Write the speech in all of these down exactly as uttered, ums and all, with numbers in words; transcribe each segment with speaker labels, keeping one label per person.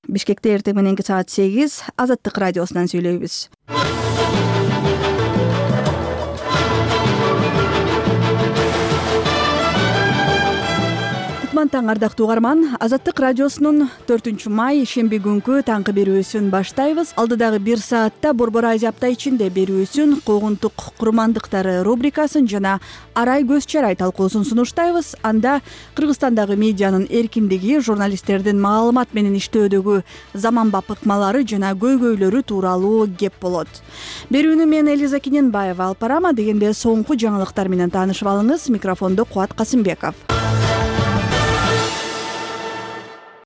Speaker 1: Бишкекте эртең мененки саат сегиз Азаттык радиосунан сүйлөйбүз. Кутман таң ардактуу угарман, Азаттык радиосунун төртүнчү май шемби күнкү таңкы берүүсүн баштайбыз. Алдыдагы бир саатта Борбор Азия апта ичинде берүүсүн куугунтук курмандыктары рубрикасын жана арай көз чарай талкуусун сунуштайбыз. Анда Кыргызстандагы медианын эркиндиги, журналисттердин маалымат менен иштөөдөгү заманбап ыкмалары жана көйгөйлөрү тууралуу кеп болот. Берүүнү мен Элиза Кененбаева алып барам, дегенде соңку жаңылыктар менен таанышып алыңыз. Микрофондо Кубат Касымбеков.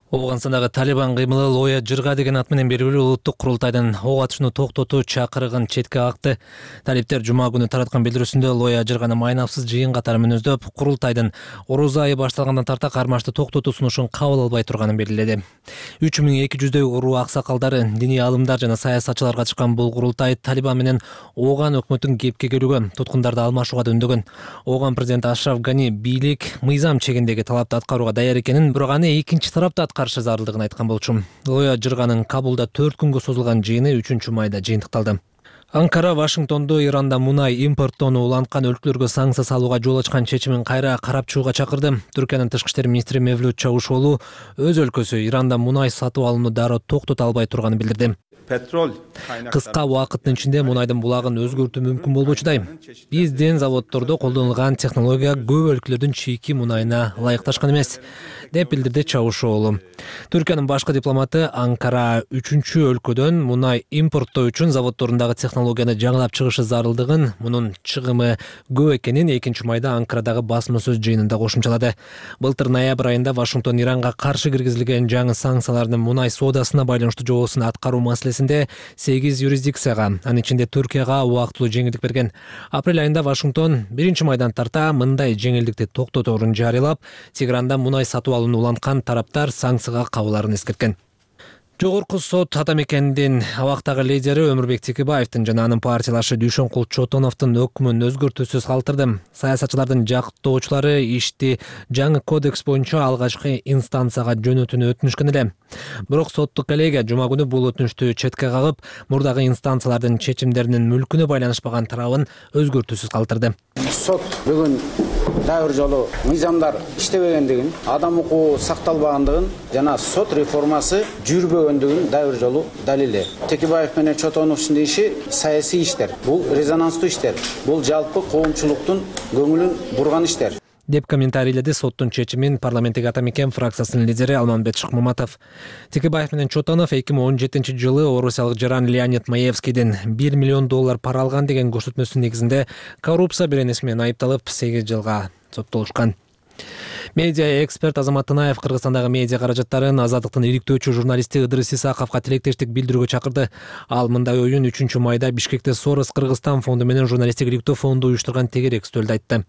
Speaker 2: Ооганстандагы Талибан кыймылы Лоя Жырга деген ат менен белгилүү улуттук курултайдын ок атышууну токтотуу чакырыгын четке какты. Талиптер жума күнү тараткан билдирүүсүндө Лоя Жырганы майнапсыз жыйын катары мүнөздөп, курултайдын орозо айы башталгандан тарта кармашты токтотуу сунушун кабыл албай турганын белгиледи. үч миң эки жүздөй уруу аксакалдары, диний алымдар жана саясатчылар катышкан бул курултай Талибан менен Ооган өкмөтүн кепке келүүгө, туткундарды алмашууга да үндөгөн. Ооган президенти Ашраф Гани бийлик мыйзам чегиндеги талапты аткарууга даяр экенин, бирок аны экинчи тарапта каршы зарылдыгын айткан болчу. Лоя Жырганын Кабулда төрт күнгө созулган жыйыны үчүнчү майда жыйынтыкталды. Анкара Вашингтондо Иранда мунай импорттоону уланткан өлкөлөргө санкция салууга жол ачкан чечимин кайра карап чыгууга чакырды. Түркиянын тышкы иштер министри Мевлют Чавушоğlu өз өлкөсү Иранда мунай сатып алууну дароо токтото албай турганын билдирди. Кыска убакыттын ичинде мунайдын булагын өзгөртүү мүмкүн болбочудай. Биздин заводдордо колдонулган технология көп өлкөлөрдүн чийки мунайына ылайыкташкан эмес, деп билдирди Чавушоğlu. Түркиянын башкы дипломаты Анкара үчүнчү өлкөдөн мунай импорттоо үчүн заводдорундагы технологияны жаңылап чыгышы зарылдыгын, мунун чыгымы көп экенин экинчи майда Анкарадагы басма сөз жыйынында кошумчалады. Былтыр ноябрь айында Вашингтон Иранга каршы киргизилген жаңы санкциялардын мунай соодасына байланыштуу жобосун аткаруу маселесинде сегиз юрисдикцияга, анын ичинде Түркияга убактылуу жеңилдик берген. Апрель айында Вашингтон биринчи майдан тарта мындай жеңилдикти токтоторун жарыялап, Тегеранда мунай сатып алууну уланткан тараптар санкцияга кабыларын эскерткен. Жогорку сот Атамекендин абактагы лидери Өмүрбек Текебаевдин жана анын партиялашы Дүйшөнкул Чотоновдун өкмүн өзгөртүүсүз калтырды. Саясатчылардын жактоочулары ишти жаңы кодекс боюнча алгачкы инстанцияга жөнөтүүнү өтүнүшкөн эле. Бирок соттук коллегия жума күнү бул өтүнүштү четке кагып, мурдагы инстанциялардын чечимдеринин мүлкүнө байланышпаган тарабын өзгөртүүсүз калтырды.
Speaker 3: Сот бүгүн дайыр жолу мыйзамдар иштебегендигин, адам укугу сакталбагандыгын жана сот реформасы жүрбөгөндүгүн дайыр жолу далилде. Текебаев менен Чотоновдун иши саясий иштер. Бул резонанстуу иштер. Бул жалпы коомчулуктун көңүлүн бурган иштер,
Speaker 2: деп комментарийледи соттун чечимин парламенттеги Атамекен фракциясынын лидери Алмамбет Шыкмаматов. Текебаев менен Чотонов эки миң он жетинчи жылы орусиялык жаран Леонид Маевскийдин бир миллион доллар пара алган деген көрсөтмөсүнүн негизинде коррупция беренеси менен айыпталып сегиз жылга соттолушкан. Медиа эксперт Азамат Тынаев Кыргызстандагы медиа каражаттарын Азаттыктын иликтөөчү журналисти Ыдырыс Исаковго тилектештик билдирүүгө чакырды. Ал мындай оюн үчүнчү майда Бишкекте Сорос Кыргызстан фонду менен журналисттик иликтөө фонду уюштурган тегерек стөлдө айтты.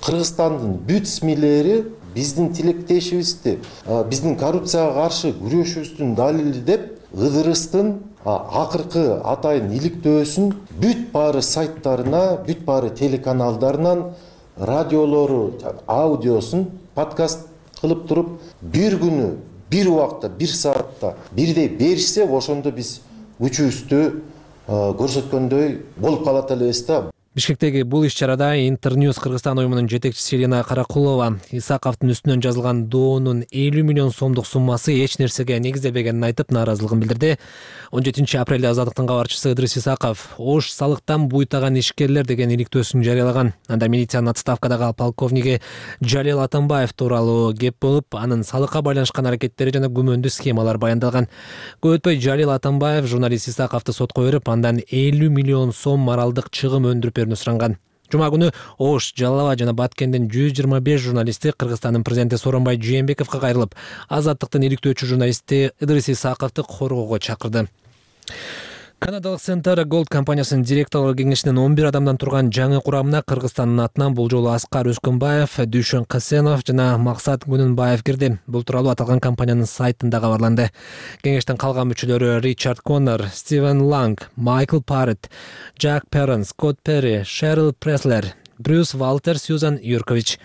Speaker 4: Кыргызстандын бүт смилери биздин тилектешибизди, биздин коррупцияга каршы күрөшүбүздүн далили деп Ыдырыстын акыркы атайын иликтөөсүн бүт баары сайттарына, бүт баары телеканалдарынан, радиолору, аудиосун подкаст кылып туруп, бир күнү, бир убакта, бир саатта бирдей беришсе, ошондо биз күчүбүздү көрсөткөндөй болуп калат элебиз да.
Speaker 2: Бишкектеги бул иш-чарада Интерньюз Кыргызстан уюмунун жетекчиси Елена Каракулова Исаковдун үстүнөн жазылган доонун элүү миллион сомдук суммасы эч нерсеге негизделбегенин айтып, нааразылыгын билдирди. он жетинчи апрелде Азаттыктын кабарчысы Ыдырыс Исаков ош салыктан буйтаган ишкерлер деген иликтөөсүн жарыялаган. Анда милициянын отставкадагы полковниги Жалил Атамбаев тууралуу кеп болуп, анын салыкка байланышкан аракеттери жана күмөндүү схемалар баяндалган. Көп өтпөй Жалил Атамбаев журналист Исаковду сотко берип, андан элүү миллион сом моралдык чыгым өндүрүп суранган. Жума күнү Ош, Жалал Абад жана Баткендин жүз жыйырма беш журналисти Кыргызстандын президенти Сооронбай Жээнбековго кайрылып, Азаттыктын иликтөөчү журналисти Ыдырыс Исаковду коргоого чакырды. Канадалык Center Gold компаниясынын директорлор кеңешинин он бир адамдан турган жаңы курамына Кыргызстандын атынан бул жолу Аскар Өскөнбаев, Дүйшөн Касенов жана Максат Күнүнбаев кирди. Бул тууралуу аталган компаниянын сайтында кабарланды. Кеңештин калган мүчөлөрү Ричард Коннор, Стивен Ланг, Майкл Паррет, Джак Перрон, Скотт Перри, Шерил Преслер, Брюс Валтер, Сьюзан Юркович.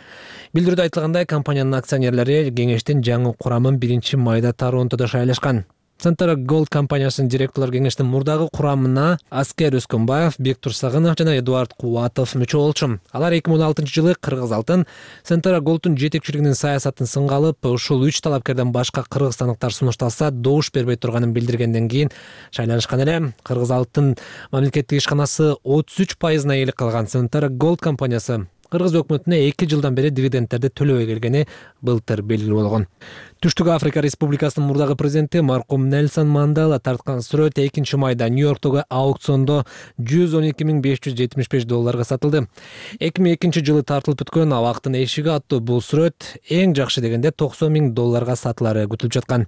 Speaker 2: Билдирүүдө айтылгандай, компаниянын акционерлери кеңештин жаңы курамын биринчи майда Торонтодо шайлашкан. Centara Gold компаниясынын директорлор кеңештин мурдагы курамына Аскер Өскөнбаев, Бектур Сагынов жана Эдуард Кубатов мүчө болчу. Алар эки миң он алтынчы жылы Кыргыз алтын Centara Gold'ун жетекчилигинин саясатын сынга алып, ушул үч талапкерден башка кыргызстандыктар сунушталса добуш бербей турганын билдиргенден кийин шайланышкан эле. Кыргыз алтын мамлекеттик ишканасы отуз үч пайызына ээлик кылган Centara Gold компаниясы Кыргыз өкмөтүнө эки жылдан бери дивидендтерди төлөбөй келгени былтыр белгилүү болгон. Түштүк Африка Республикасынын мурдагы президенти маркум Нельсон Мандела тарткан сүрөт экинчи майда Нью-Йорктогу аукциондо жүз он эки миң беш жүз жетимиш беш долларга сатылды. эки миң экинчи жылы тартылып өткөн Абактын эшиги аттуу бул сүрөт эң жакшы дегенде токсон миң долларга сатылары күтүлүп жаткан.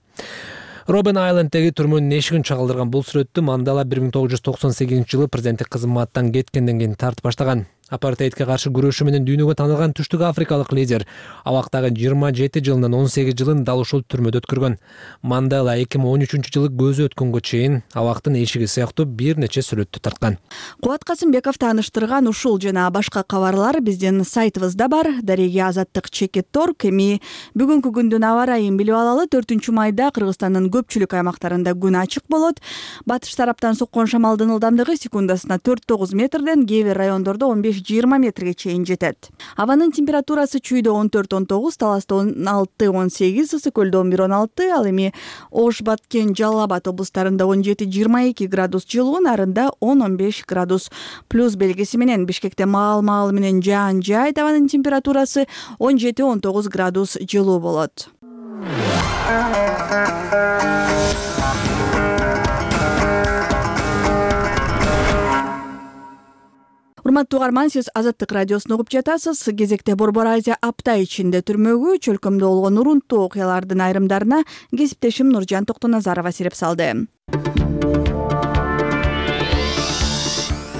Speaker 2: Робен Айленддеги түрмөнүн эшигин чагылдырган бул сүрөттү Мандела бир миң тогуз жүз токсон сегизинчи жылы президенттик кызматтан кеткенден кийин тартып баштаган. Апартеидке каршы күрөшү менен дүйнөгө таанылган түштүк африкалык лидер абактагы жыйырма жети жылынан он сегиз жылын дал ушул түрмөдө өткөргөн. Мандела эки миң он үчүнчү жылы көзү өткөнгө чейин Абактын эшиги сыяктуу бир нече сүрөттү тарткан.
Speaker 1: Кубат Касымбеков тааныштырган ушул жана башка кабарлар биздин сайтыбызда бар. Дареге Азаттык чекит торг. Эми бүгүнкү күндүн аба ырайын билип алалы. төртүнчү майда Кыргызстандын көпчүлүк аймактарында күн ачык болот. Батыш тараптан соккон шамалдын ылдамдыгы секундасына төрт тогуз метрден, кээ бир райондордо он беш жыйырма метрге чейин жетет. Абанын температурасы чүйдө он төрт он тогуз, Таласта он алты он сегиз, Ысык көлдө он бир он алты, ал эми Ош, Баткен, Жалал Абад облустарында он жети жыйырма эки градус жылуу, нарында он он беш градус плюс белгиси менен. Бишкекте маал-маал менен жаан жайт, абанын температурасы он жети он тогуз градус жылуу болот. Урматтуу угарман, сиз Азаттык радиосун угуп жатасыз. Кезекте Борбор Азия апта ичинде түрмөгү чөлкөмдө болгон урунттуу окуялардын айрымдарына кесиптешим Нуржан Токтоназарова сереп салды.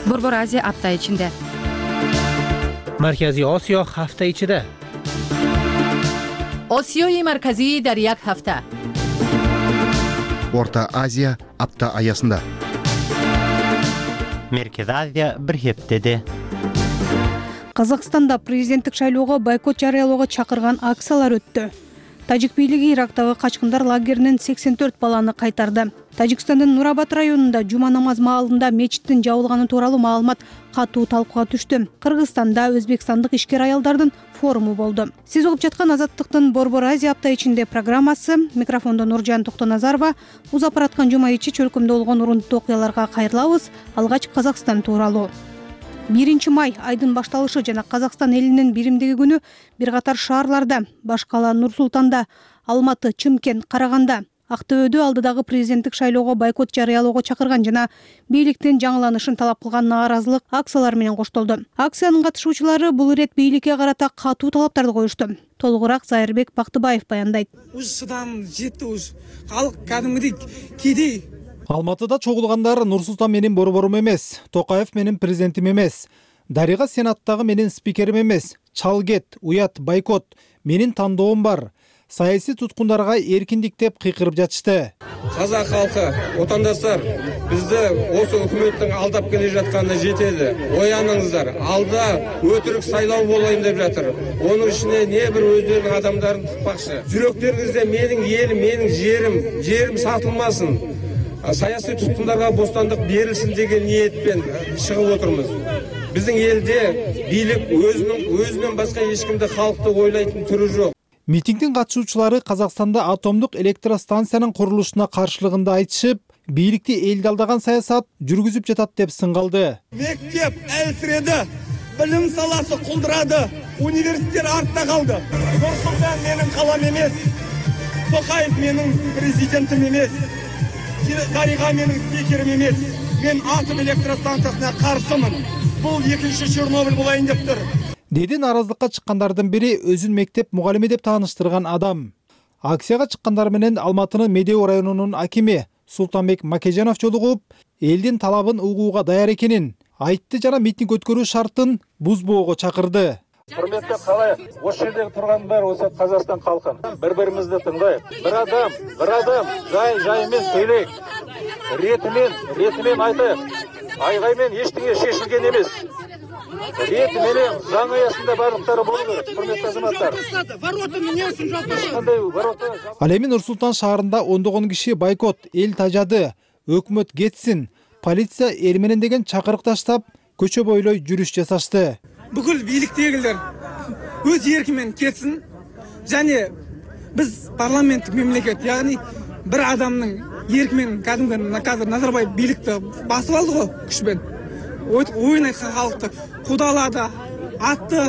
Speaker 5: Борбор Азия апта ичинде.
Speaker 6: Маркази Осиё ҳафта ичида.
Speaker 5: Осиёи марказӣ дар як ҳафта.
Speaker 7: Орта Азия апта аясында.
Speaker 6: Меркез Азия бир хептеде.
Speaker 8: Казакстанда президенттик шайлоого бойкот жарыялоого чакырган акциялар өттү. Тажик бийлиги Ирактагы качкындар лагеринен сексен төрт баланы кайтарды. Тажикстандын Нурабад районунда жума намаз маалында мечиттин жабылганы тууралуу маалымат катуу талкууга түштү. Кыргызстанда өзбекстандык ишкер аялдардын форуму болду. Сиз угуп жаткан Азаттыктын Борбор Азия апта ичинде программасы. Микрофондо Нуржан Токтоназарова. Узап бараткан жума ичи чөлкөмдө болгон урунттуу окуяларга кайрылабыз. Алгач Казакстан тууралуу. биринчи май айдын башталышы жана Казакстан элинин биримдиги күнү бир катар шаарларда, баш кала Нур Султанда, Алматы, Чымкент, Караганда, Актөбөдө алдыдагы президенттик шайлоого бойкот жарыялоого чакырган жана бийликтин жаңыланышын талап кылган нааразылык акциялары менен коштолду. Акциянын катышуучулары бул ирет бийликке карата катуу талаптарды коюшту. Толугураак Зайырбек Бактыбаев баяндайт.
Speaker 9: Уж сыдан жетти, уж калк кадимгидей киди.
Speaker 10: Алматыда чогулгандар Нур Султан менин борборум эмес, Токаев менин президентим эмес, Дарига Сенаттагы менин спикерим эмес, чал кет, уят, бойкот, менин тандоом бар. Саясий туткундарга эркиндик деп кыйкырып жатышты.
Speaker 9: Казак халкы, отандастар, бизди осы өкмөттүн алдап келе жатканы жетеди. Ояныңыздар, алда өтүрүк сайлоо болойм деп жатыр. Онун ичине не бир өздөрүнүн адамдарын тыкпакчы. Жүрөктөрүңүздө менин элим, менин жерим, жерим сатылмасын. Саясий туткундарга бостандык берилсин деген ниетпен чыгып отурмуз. Биздин элде бийлик өзүнүн өзүнөн башка эч кимди халкты ойлойтун түрү жок.
Speaker 10: Митингдин катышуучулары Казакстанда атомдук электростанциянын курулушуна каршылыгында айтышып, бийликти элди алдаган саясат жүргүзүп жатат деп сынгалды.
Speaker 9: Мектеп әлсиреди, билим саласы кулдурады, университеттер артта калды. Нур Султан менин калам эмес, Токаев менин президентим эмес, Дарига менин спикерим эмес. Мен атом электростанциясына каршымын. Бул экинчи Чернобыль болайын дептир.
Speaker 10: Деди нааразылыкка чыккандардын бири өзүн мектеп мугалими деп тааныштырган адам. Акцияга чыккандар менен Алматынын Медеу районунун акими Султанбек Макежанов жолугуп, элдин талабын угууга даяр экенин айтты жана митинг өткөрүү шартын бузбоого чакырды.
Speaker 11: Құрметті қалай, осы жердегі тұрғандар осы Қазақстан халқын бір-бірімізді тыңдайық. Bir адам, bir адам жай жайымен сөйлейік. Ретімен, ретімен айтайық. Айғаймен ештеңе шешілген емес. рети менен заң аясында барлыктары болу керек. Урматтуу азаматтар. Кандай ворота?
Speaker 10: Ал эми Нур Султан шаарында ондогон киши бойкот, эл тажады, өкмөт кетсин, полиция эл менен деген чакырык таштап, көчө бойлой жүрүш жасашты.
Speaker 12: Бүкүл бийликтегилер өз эрки менен кетсин. Және биз парламенттик мемлекет, яғни бір адамның ерки менен кәдімгі қазір Назарбаев бийликти басып алды го күчпен. Ойын айткан халыкты кудалады, атты.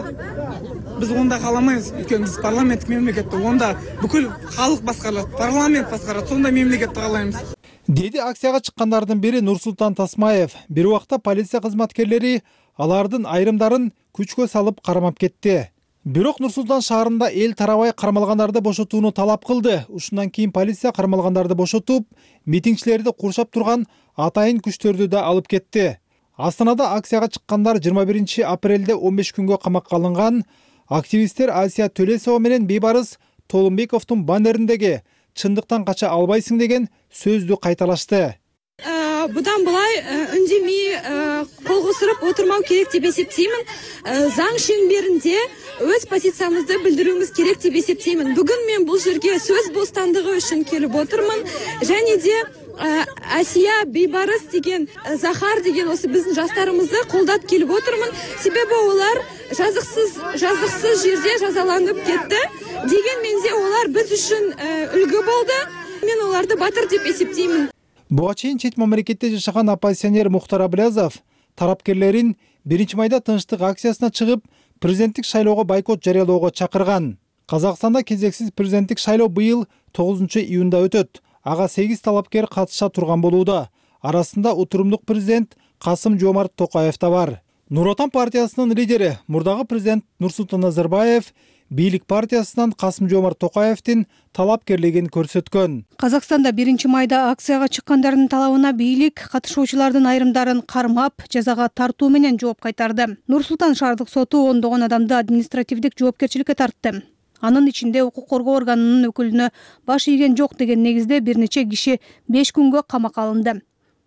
Speaker 12: Біз онда кааламайбыз, өйткөнү биз парламенттик мемлекетте, онда бүкүл халық баскарылат, парламент баскарат, сондай мемлекетти каалайбыз.
Speaker 10: Деди акцияга чыккандардын бири Нурсултан Тасмаев. Бир убакта полиция кызматкерлери алардын айрымдарын күчкө салып кармап кетти. Бирок Нур Султан шаарында эл тарабай кармалгандарды бошотууну талап кылды. Ушундан кийин полиция кармалгандарды бошотуп, митингчилерди куршап турган атайын күчтөрдү да алып кетти. Астанада акцияга чыккандар жыйырма биринчи апрелде он беш күнгө камакка алынган. Активисттер Асия Төлесова менен Бейбарыс Толумбековдун баннериндеги чындыктан кача албайсың деген сөздү кайталашты.
Speaker 13: Будан булай үндемей кол кусуруп отурмау керек деп эсептеймин. Заң шеңберинде өз позициябызды билдирүүбүз керек деп эсептеймин. Бүгүн мен бул жерге сөз бостандыгы үчүн келип отурмун. Және де Асия, Бейбарыс деген, Захар деген осы биздин жаштарыбызды колдоп келип отурмун. Себеби олар жазыксыз, жазыксыз жерде жазаланып кетти. Дегенменде олар биз үчүн үлгү болду. Мен оларды батыр деп эсептеймин.
Speaker 10: Буга чейин чет мамлекетте жашаган оппозиционер Мухтар Аблязов тарапкерлерин биринчи майда тынчтык акциясына чыгып, президенттик шайлоого бойкот жарыялоого чакырган. Казакстанда кезексиз президенттик шайлоо быйыл тогузунчу июнда өтөт. Ага сегиз талапкер катыша турган болууда. Арасында отурумдук президент Касым-Жомарт Токаев да бар. Нур Отан партиясынын лидери мурдагы президент Нурсултан Назарбаев бийлик партиясынан Касым-Жомарт Токаевдин талапкерлигин көрсөткөн.
Speaker 8: Казакстанда биринчи майда акцияга чыккандардын талабына бийлик катышуучулардын айрымдарын кармап, жазага тартуу менен жооп кайтарды. Нур Султан шаардык соту ондогон адамды административдик жоопкерчиликке тартты. Анын ичинде укук коргоо органынын өкүлүнө баш ийген жок деген негизде бир нече киши беш күнгө камакка алынды.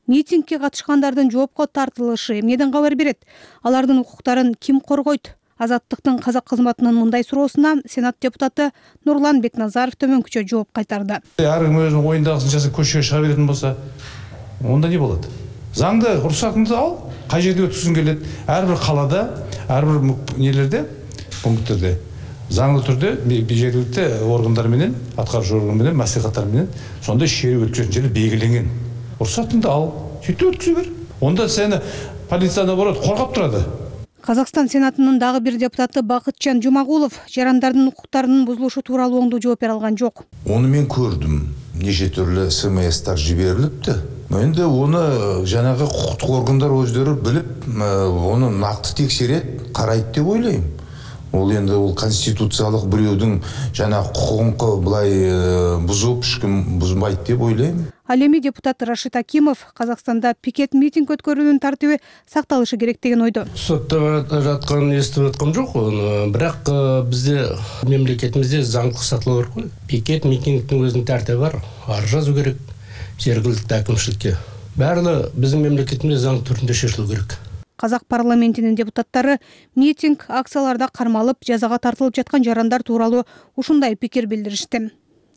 Speaker 8: Митингге катышкандардын жоопко тартылышы эмнеден кабар берет? Алардын укуктарын ким коргойт? Азаттыктын казак кызматынын мындай суроосуна Сенат депутаты Нурлан Бекназаров төмөнкүчө жооп кайтарды.
Speaker 14: Ар ким өзүнүн оюндагысын жасап көчөгө чыга беретін болса, онда не болот? Заңды уруксатыңды ал, кай жерде өткүзүң келет? Ар бир калада, ар бир нелерде, пункттерде заңдуу түрдө жергиликтүү органдар менен, аткаруучу орган менен, маслихаттар менен сондай шеру өткөзүлгөн жери белгиленген. Уруксатыңды ал, сөйтүп өткөзө бер. Онда сени полиция наоборот коргоп турады.
Speaker 8: Казакстан Сенатынын дагы бир депутаты Бакытчан Жумагулов жарандардын укуктарынын бузулушу тууралуу оңдуу жооп бере алган жок.
Speaker 15: Оны мен көрдүм. Неше түрлүү СМСтар жиберилипти. Менде оны жанагы укуктук органдар өздөрү билип, оны накты текшерет, карайт деп ойлойм. Ол енді ол конституциялық біреудің жана құқығын былай бұзып, ешкім бұзбайды деп ойлаймын.
Speaker 8: Ал эми депутат Рашид Акимов Казакстанда пикет митинг өткөрүүнүн тартиби сакталышы керек деген ойдо.
Speaker 16: Сотто жатканын эстип аткам жок, бирок бизде мемлекетибизде заңдык сатылуу бар го. Пикет митингдин өзүнүн тартиби бар. Ар жазуу керек жергиликтүү акимчиликке. Баары биздин мемлекетибизде заң түрүндө шешилүү керек.
Speaker 8: Казак парламентинин депутаттары митинг акцияларда кармалып, жазага тартылып жаткан жарандар тууралуу ушундай пикир билдиришти.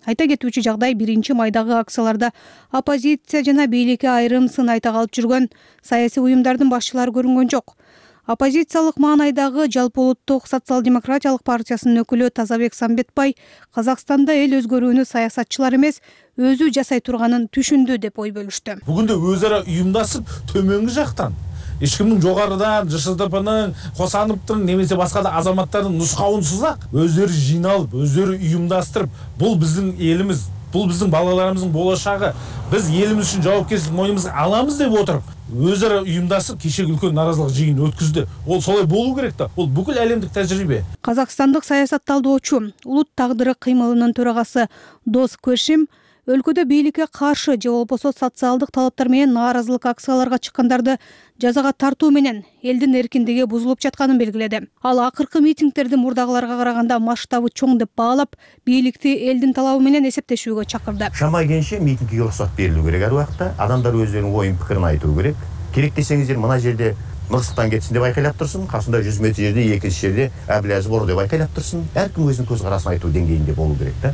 Speaker 8: Айта кетүүчү жагдай биринчи майдагы акцияларда оппозиция жана бийликке айрым сын айта калып жүргөн саясий уюмдардын башчылары көрүнгөн жок. Оппозициялык маанайдагы Жалпы улуттук социал-демократиялык партиясынын өкүлү Тазабек Самбетбай Казакстанда эл өзгөрүүнү саясатчылар эмес, өзү жасай турганын түшүндү деп ой бөлүштү.
Speaker 17: Бүгүндө өз ара уюмдашып, төмөнгү жактан эч кимдин жогорудан ЖШТПнын, Косановдун немесе башка да азаматтардын нускауынсыз ак өздөрү жыйналып, өздөрү уюмдаштырып, бул биздин элimiz, бул биздин балаларыбыздын болочогу, биз элimiz үчүн жоопкерчилик мойнубузга аламыз деп отуруп, өз ара уюмдашып кечеги үлкөн наразылык жыйын өткүздү. Ол солай болуу керек да. Ол бүкүл элемдик тажрыйбе.
Speaker 8: Казакстандык саясат талдоочу, улут тагдыры кыймылынын төрагасы Дос Көшим өлкөдө бийликке каршы же болбосо социалдык талаптар менен нааразылык акцияларга чыккандарды жазага тартуу менен элдин эркиндиги бузулуп жатканын белгиледи. Ал акыркы митингтерди мурдагыларга караганда масштабы чоң деп баалап, бийликти элдин талабы менен эсептешүүгө чакырды.
Speaker 18: Шама келишинче митингге уруксат берилүү керек ар убакта. Адамдар өздөрүнүн оюн пикирин айтуу керек. Керек десеңиздер, мына жерде Нурсултан кетсин деп айкайлап турсун, касында жүз метр жерде экинчи жерде Абылязов бор деп айкайлап турсун. Ар ким өзүнүн көз карасын айтуу деңгээлинде болуу керек да.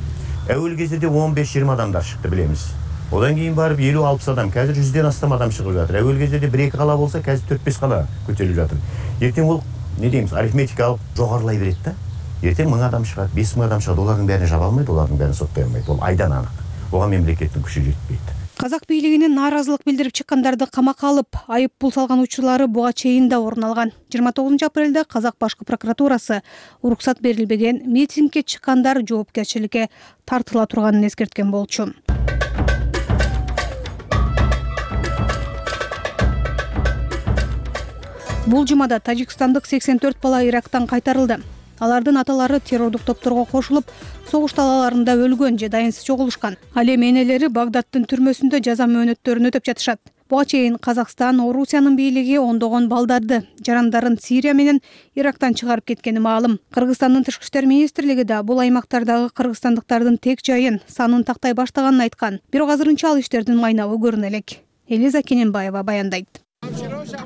Speaker 18: Әуел кезде он беш жыйырма адамдар шықты, билемиз. Одан кейін барып элүү алпыс адам, қазір жүзден астам адам шығып жатыр. Әуел кезде бір екі қала болса, қазір төрт бес қала көтеріліп жатыр. Ертең ол, не дейміз, арифметикалық жоғарылай береді да. Ертең мың адам шығады, бес мың адам шығады, олардың бәрін жаба алмайды, олардың бәрін соттай алмайды. Ол айдан анық. Оған мемлекеттің күші жетпейді.
Speaker 8: Казак бийлигине нааразылык билдирип чыккандарды камакка алып, айып пул салган учурлары буга чейин да орун алган. жыйырма тогузунчу апрелде Казак башкы прокуратурасы уруксат берилбеген митингге чыккандар жоопкерчиликке тартыла турганын эскерткен болчу. Бул жумада тажикстандык сексен төрт бала Ирактан кайтарылды. Алардын аталары террордук топторго кошулуп, согуш талааларында өлгөн же дайынсыз чогулушкан. Ал эми энелери Багдадтын түрмөсүндө жаза мөөнөттөрүн өтөп жатышат. Буга чейин Казакстан, Орусиянын бийлиги ондогон балдарды, жарандарын Сирия менен Ирактан чыгарып кеткени маалым. Кыргызстандын тышкы иштер министрлиги да бул аймактардагы кыргызстандыктардын тек жайын, санын тактай баштаганын айткан. Бирок азырынча ал иштердин майнабы көрүнө элек. Элиза Кененбаева баяндайт.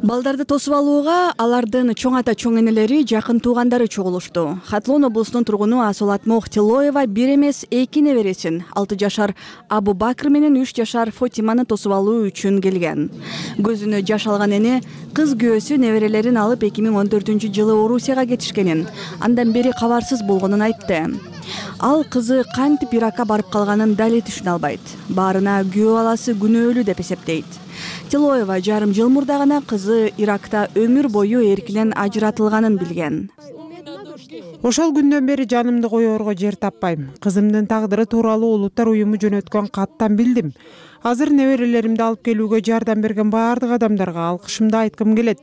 Speaker 1: Балдарды тосуп алууга алардын чоң ата чоң энелери, жакын туугандары чогулушту. Хатлон облусунун тургуну Асолат Мохтилоева бир эмес эки небересин, алты жашар Абу Бакр менен үч жашар Фотиманы тосуп алуу үчүн келген. Көзүнө жаш алган эне кыз күйөөсү неберелерин алып эки миң он төртүнчү жылы Орусияга кетишкенин, андан бери кабарсыз болгонун айтты. Ал кызы кантип Иракка барып калганын дали түшүнө албайт. Баарына күйөө баласы күнөөлүү деп эсептейт. Тилоева жарым жыл мурда гана кызы Иракта өмүр бою эркинен ажыратылганын билген.
Speaker 19: Ошол күндөн бери жанымды коёрго жер таппайм. Кызымдын тагдыры тууралуу Улуттар уюму жөнөткөн каттан билдим. Азыр неберелеримди алып келүүгө жардам берген баардык адамдарга алкышымды айткым келет.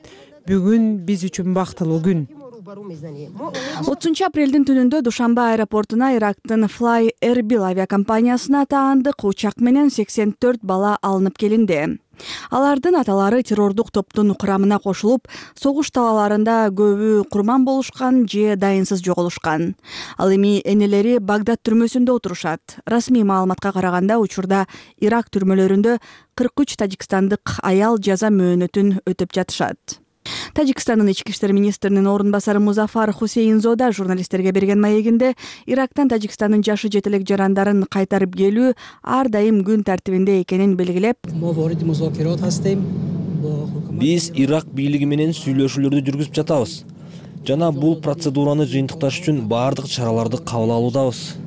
Speaker 19: Бүгүн биз үчүн бактылуу күн.
Speaker 1: отузунчу апрелдин түнүндө Душанбе аэропортуна Ирактын Fly Erbil авиакомпаниясына таандык учак менен сексен төрт бала алынып келинди. Алардын аталары террордук топтун курамына кошулуп, согуш талааларында көбү курман болушкан же дайынсыз жоголушкан. Ал эми энелери Багдад түрмөсүндө отурушат. Расмий маалыматка караганда учурда Ирак түрмөлөрүндө кырк үч тажикстандык аял жаза мөөнөтүн өтөп жатышат. Тажикстандын ички иштер министринин орун басары Музафар Хусейнзода журналисттерге берген маегинде Ирактан Тажикстандын жашы жетелек жарандарын кайтарып келүү ар дайым күн тартибинде экенин белгилеп,
Speaker 20: биз Ирак бийлиги менен сүйлөшүүлөрдү жүргүзүп жатабыз жана бул процедураны жыйынтыкташ үчүн баардык чараларды кабыл алуудабыз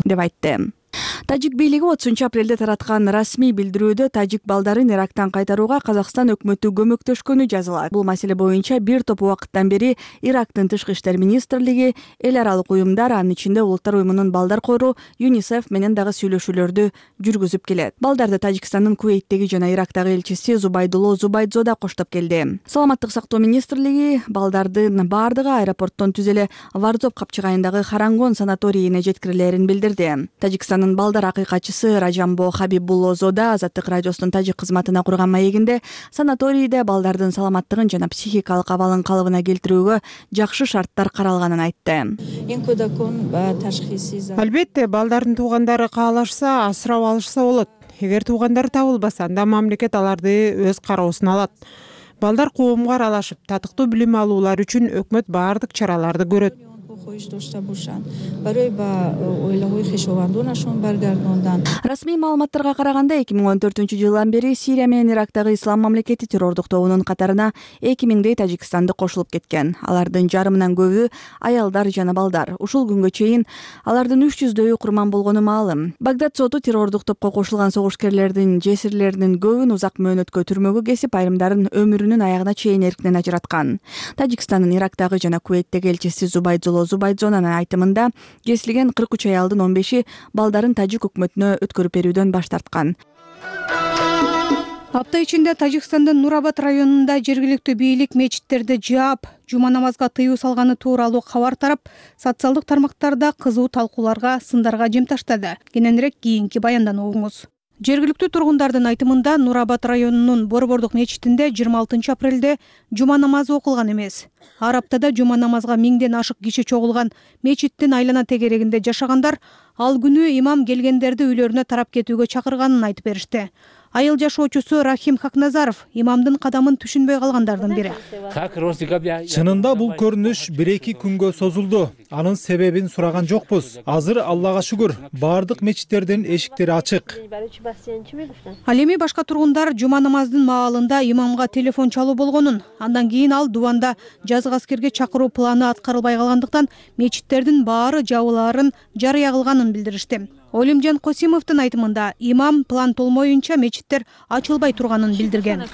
Speaker 1: деп айтты. Тажик бийлиги отузунчу апрелде тараткан расмий билдирүүдө тажик балдарын Ирактан кайтарууга Казакстан өкмөтү көмөктөшкөнү жазылат. Бул маселе боюнча бир топ убакыттан бери Ирактын тышкы иштер министрлиги, эл аралык уюмдар, анын ичинде Улуттар уюмунун балдар кору ЮНИСЕФ менен дагы сүйлөшүүлөрдү жүргүзүп келет. Балдарды Тажикстандын Кувейттеги жана Ирактагы элчиси Зубайдулло Зубайдзода коштоп келди. Саламаттык сактоо министрлиги балдардын баардыгы аэропорттон түз эле Варзоп капчыгайындагы Харангон санаторийине жеткирилерин билдирди. Тажикстандын балдар акыйкатчысы Ражамбо Хабибуллозода Азаттык радиосунун тажик кызматына курган маегинде санаторийде балдардын саламаттыгын жана психикалык абалын калыбына келтирүүгө жакшы шарттар каралганын айтты.
Speaker 19: Албетте, балдардын туугандары каалашса, асырап алышса болот. Эгер туугандары табылбаса, анда мамлекет аларды өз кароосуна алат. Балдар коомго аралашып, татыктуу билим алуулар үчүн өкмөт баардык чараларды көрөт.
Speaker 1: Расмий маалыматтарга караганда эки миң он төртүнчү жылдан бери Сирия менен Ирактагы Ислам мамлекети террордук тобунун катарына эки миңдей тажикстанды кошулуп кеткен. Алардын жарымынан көбү аялдар жана балдар. Ушул күнгө чейин алардын үч жүздөйү курман болгону маалым. Багдад соту террордук топко кошулган согушкерлердин жесирлеринин көбүн узак мөөнөткө түрмөгө кесип, айрымдарын өмүрүнүн аягына чейин эркинен ажыраткан. Тажикстандын Ирактагы жана Кувейттеги элчиси Зубайдулло Зубайдзонун айтымында кесилген кырк үч аялдын он беши балдарын тажик өкмөтүнө өткөрүп берүүдөн баш тарткан.
Speaker 8: Апта ичинде Тажикстандын Нурабад районунда жергиликтүү бийлик мечиттерди жаап, жума намазга тыюу салганы тууралуу кабар тарап, социалдык тармактарда кызуу талкууларга, сындарга жем таштады. Кененирээк кийинки баяндан угуңуз. Жергиликтүү тургундардын айтымында Нурабад районунун Борбордук мечитинде жыйырма алтынчы апрелде жума намазы окулган эмес. Ар аптада жума намазга миңден ашык киши чогулган мечиттин айлана тегерегинде жашагандар ал күнү имам келгендерди үйлөрүнө тарап кетүүгө чакырганын айтып беришти. Айыл жашоочусу Рахим Хакназаров имамдын кадамын түшүнбөй калгандардын бири.
Speaker 10: Чынында бул көрүнүш бир эки күнгө созулду. Анын себебин сураган жокпуз. Азыр Аллага шүгүр, бардык мечиттердин эшиктери ачык.
Speaker 8: Ал эми башка тургундар жума намазынын маалында имамга телефон чалуу болгонун, андан кийин ал дубанда жазгы аскерге чакыруу планы аткарылбай калгандыктан мечиттердин баары жабылаарын жарыя кылганын билдиришти. Олимжан Косимовдун айтымында имам план толмоюнча мечиттер ачылбай турганын билдирген.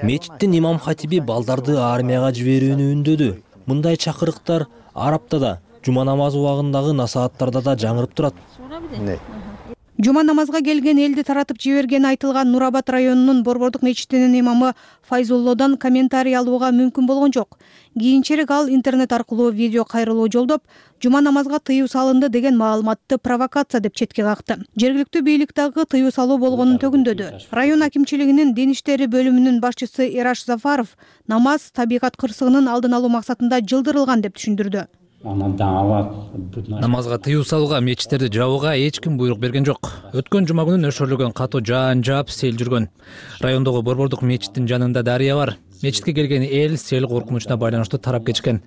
Speaker 20: Мечиттин имам хатиби балдарды армияга жиберүүнү үндөдү. Мындай чакырыктар Араптада, жума намазы убагындагы насааттарда да жаңырып турат.
Speaker 8: Жума намазга келген элди таратып жибергени айтылган Нур Абад районунун Борбордук мечитинин имамы Файзуллодан комментарий алууга мүмкүн болгон жок. Кийинчерээк ал интернет аркылуу видео кайрылуу жолдоп, жума намазга тыюу салынды деген маалыматты провокация деп четке какты. Жергиликтүү бийлик дагы тыюу салуу болгонун төгүндөдү. Район акимчилигинин дин иштери бөлүмүнүн башчысы Эраш Зафаров намаз табигат кырсыгынын алдын алуу максатында жылдырылган деп түшүндүрдү.
Speaker 2: Намазга тыюу салууга, мечиттерди жабууга эч ким буйрук берген жок. Өткөн жума күнү нөшөрлөгөн катуу жаан жаап сел жүргөн. Райондогу Борбордук мечиттин жанында дарыя бар. Мечитке келген эл сел коркунучуна байланыштуу тарап кетишкен.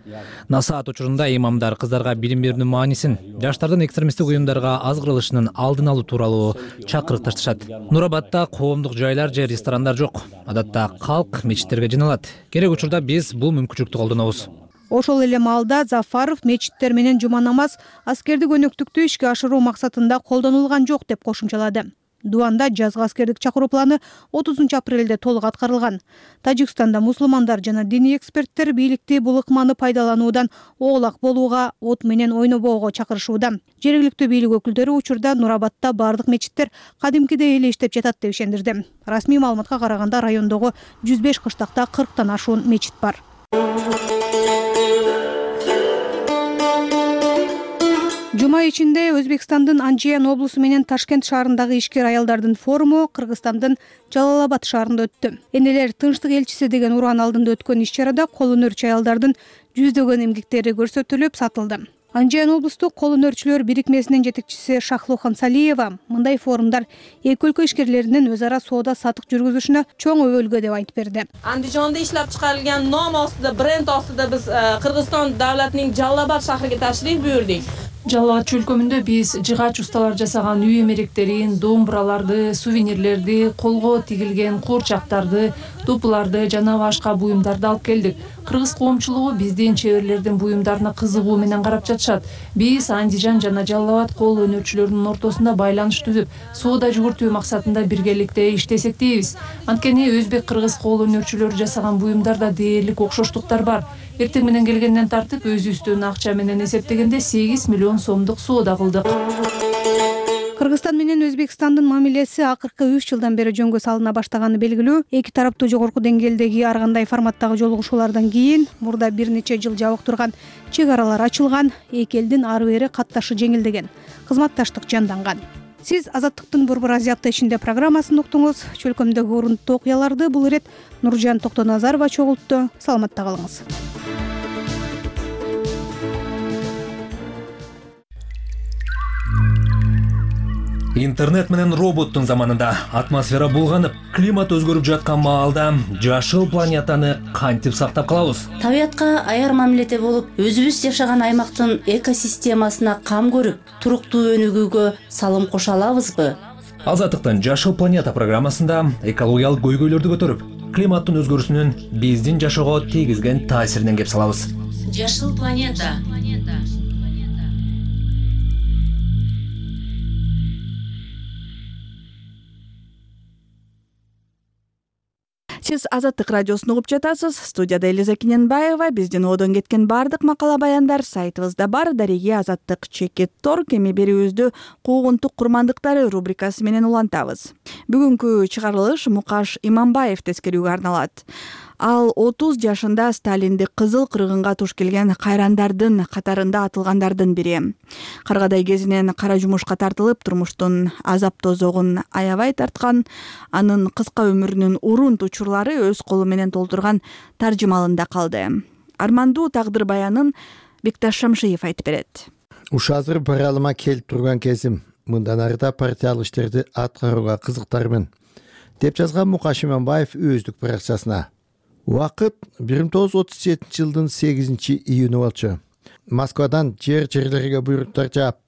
Speaker 2: Насаат учурунда имамдар кыздарга билим берүүнүн маанисин, жаштардын экстремисттик уюмдарга азгырылышынын алдын алуу тууралуу чакырык ташташат. Нур Абадда коомдук жайлар же ресторандар жок. Адатта калк мечиттерге жыйналат. Керек учурда биз бул мүмкүнчүлүктү колдонобуз.
Speaker 8: Ошол эле маалда Зафаров мечиттер менен жума намаз аскердик өнөктүктү ишке ашыруу максатында колдонулган жок деп кошумчалады. Дубанда жазгы аскердик чакыруу планы отузунчу апрелде толук аткарылган. Тажикстанда мусулмандар жана диний эксперттер бийликти бул ыкманы пайдалануудан оолак болууга, от менен ойнобоого чакырышууда. Жергиликтүү бийлик өкүлдөрү учурда Нур Абадда бардык мечиттер кадимкидей эле иштеп жатат деп ишендирди. Расмий маалыматка караганда райондогу жүз беш кыштакта кырктан ашуун мечит бар. Жума ичинде Өзбекстандын Анжиян облусу менен Ташкент шаарындагы ишкер аялдардын форуму Кыргызстандын Жалал-Абад шаарында өттү. Энелер тынчтык элчиси деген ураан алдында өткөн иш-чарада кол өнөрчү аялдардын жүздөгөн эмгектери көрсөтүлүп, сатылды. Анжиян облустук кол өнөрчүлөр бирикмесинин жетекчиси Шахлухан Салиева мындай форумдар эки өлкө ишкерлеринин өз ара соода сатык жүргүзүшүнө чоң өбөлгө деп айтып берди.
Speaker 21: Андижонда иштеп чыгарылган ном остуда, бренд остуда биз Кыргызстан давлатынын Жалал-Абад шаарына ташриф буйрдук.
Speaker 22: Жалал-Абад чөлкөмүндө биз жыгач усталар жасаган үй эмеректерин, домбураларды, сувенирлерди, колго тигилген куурчактарды, тупуларды жана башка буюмдарды алып келдик. Кыргыз коомчулугу биздин чеберлердин буюмдарына кызыгуу менен карап жатышат. Биз Андижан жана Жалал-Абад кол өнөрчүлөрүнүн ортосунда байланыш түзүп, соода жүгүртүү максатында биргеликте иштесек дейбиз. Анткени өзбек-кыргыз кол өнөрчүлөрү жасаган буюмдарда дээрлик окшоштуктар бар. Эртең менен келгенден тартып өзүбүздүн акча менен эсептегенде сегиз миллион сомдук соода кылдык.
Speaker 8: Кыргызстан менен Өзбекстандын мамилеси акыркы үч жылдан бери жөнгө салына баштаганы белгилүү. Эки тараптуу жогорку деңгээлдеги ар кандай форматтагы жолугушуулардан кийин мурда бир нече жыл жабык турган чек аралар ачылган, эки элдин ары бери катташы жеңилдеген, кызматташтык жанданган. Сиз Азаттыктын Борбор Азия апта ичинде программасын уктуңуз. Чөлкөмдөгү урундуу окуяларды бул ирет Нуржан Токтоназарова чогултту. Саламатта калыңыз.
Speaker 2: Интернет менен роботтун заманында атмосфера булганып, климат өзгөрүп жаткан маалда жашыл планетаны кантип сактап калабыз?
Speaker 23: Табиятка аяр мамиледе болуп, өзүбүз жашаган аймактын экосистемасына кам көрүп, туруктуу өнүгүүгө салым кошо алабызбы?
Speaker 2: Азаттыктын Жашыл планета программасында экологиялык көйгөйлөрдү көтөрүп, климаттын өзгөрүүсүнүн биздин жашоого тийгизген таасиринен кеп салабыз.
Speaker 23: Жашыл планета.
Speaker 1: Сиз Азаттык радиосун угуп жатасыз. Студияда Элиза Кененбаева. Биздин одон кеткен бардык макала баяндар сайтыбызда бар. Дареги Азаттык чекит торг эми берүүбүздү куугунтук курмандыктары рубрикасы менен улантабыз. Бүгүнкү чыгарылыш Мукаш Иманбаев тескерүүгө арналат. Ал отуз жашында Сталинди кызыл кыргынга туш келген кайрандардын катарында атылгандардын бири. Каргадай кезинен кара жумушка тартылып, турмуштун азап тозогун аябай тарткан, анын кыска өмүрүнүн урунт учурлары өз колу менен толтурган таржымалында калды. Армандуу тагдыр баянын Бекташ Шамшиев айтып берет.
Speaker 24: Уш азыр баралыма келип турган кезим
Speaker 3: мындан ары да партиялык иштерди аткарууга кызыктармын, деп жазган Мукаш Иманбаев өздүк баракчасына. Убакыт бир миң тогуз жүз отуз жетинчи жылдын сегизинчи июнү болчу. Москвадан жер жерлерге буйруктар жаап,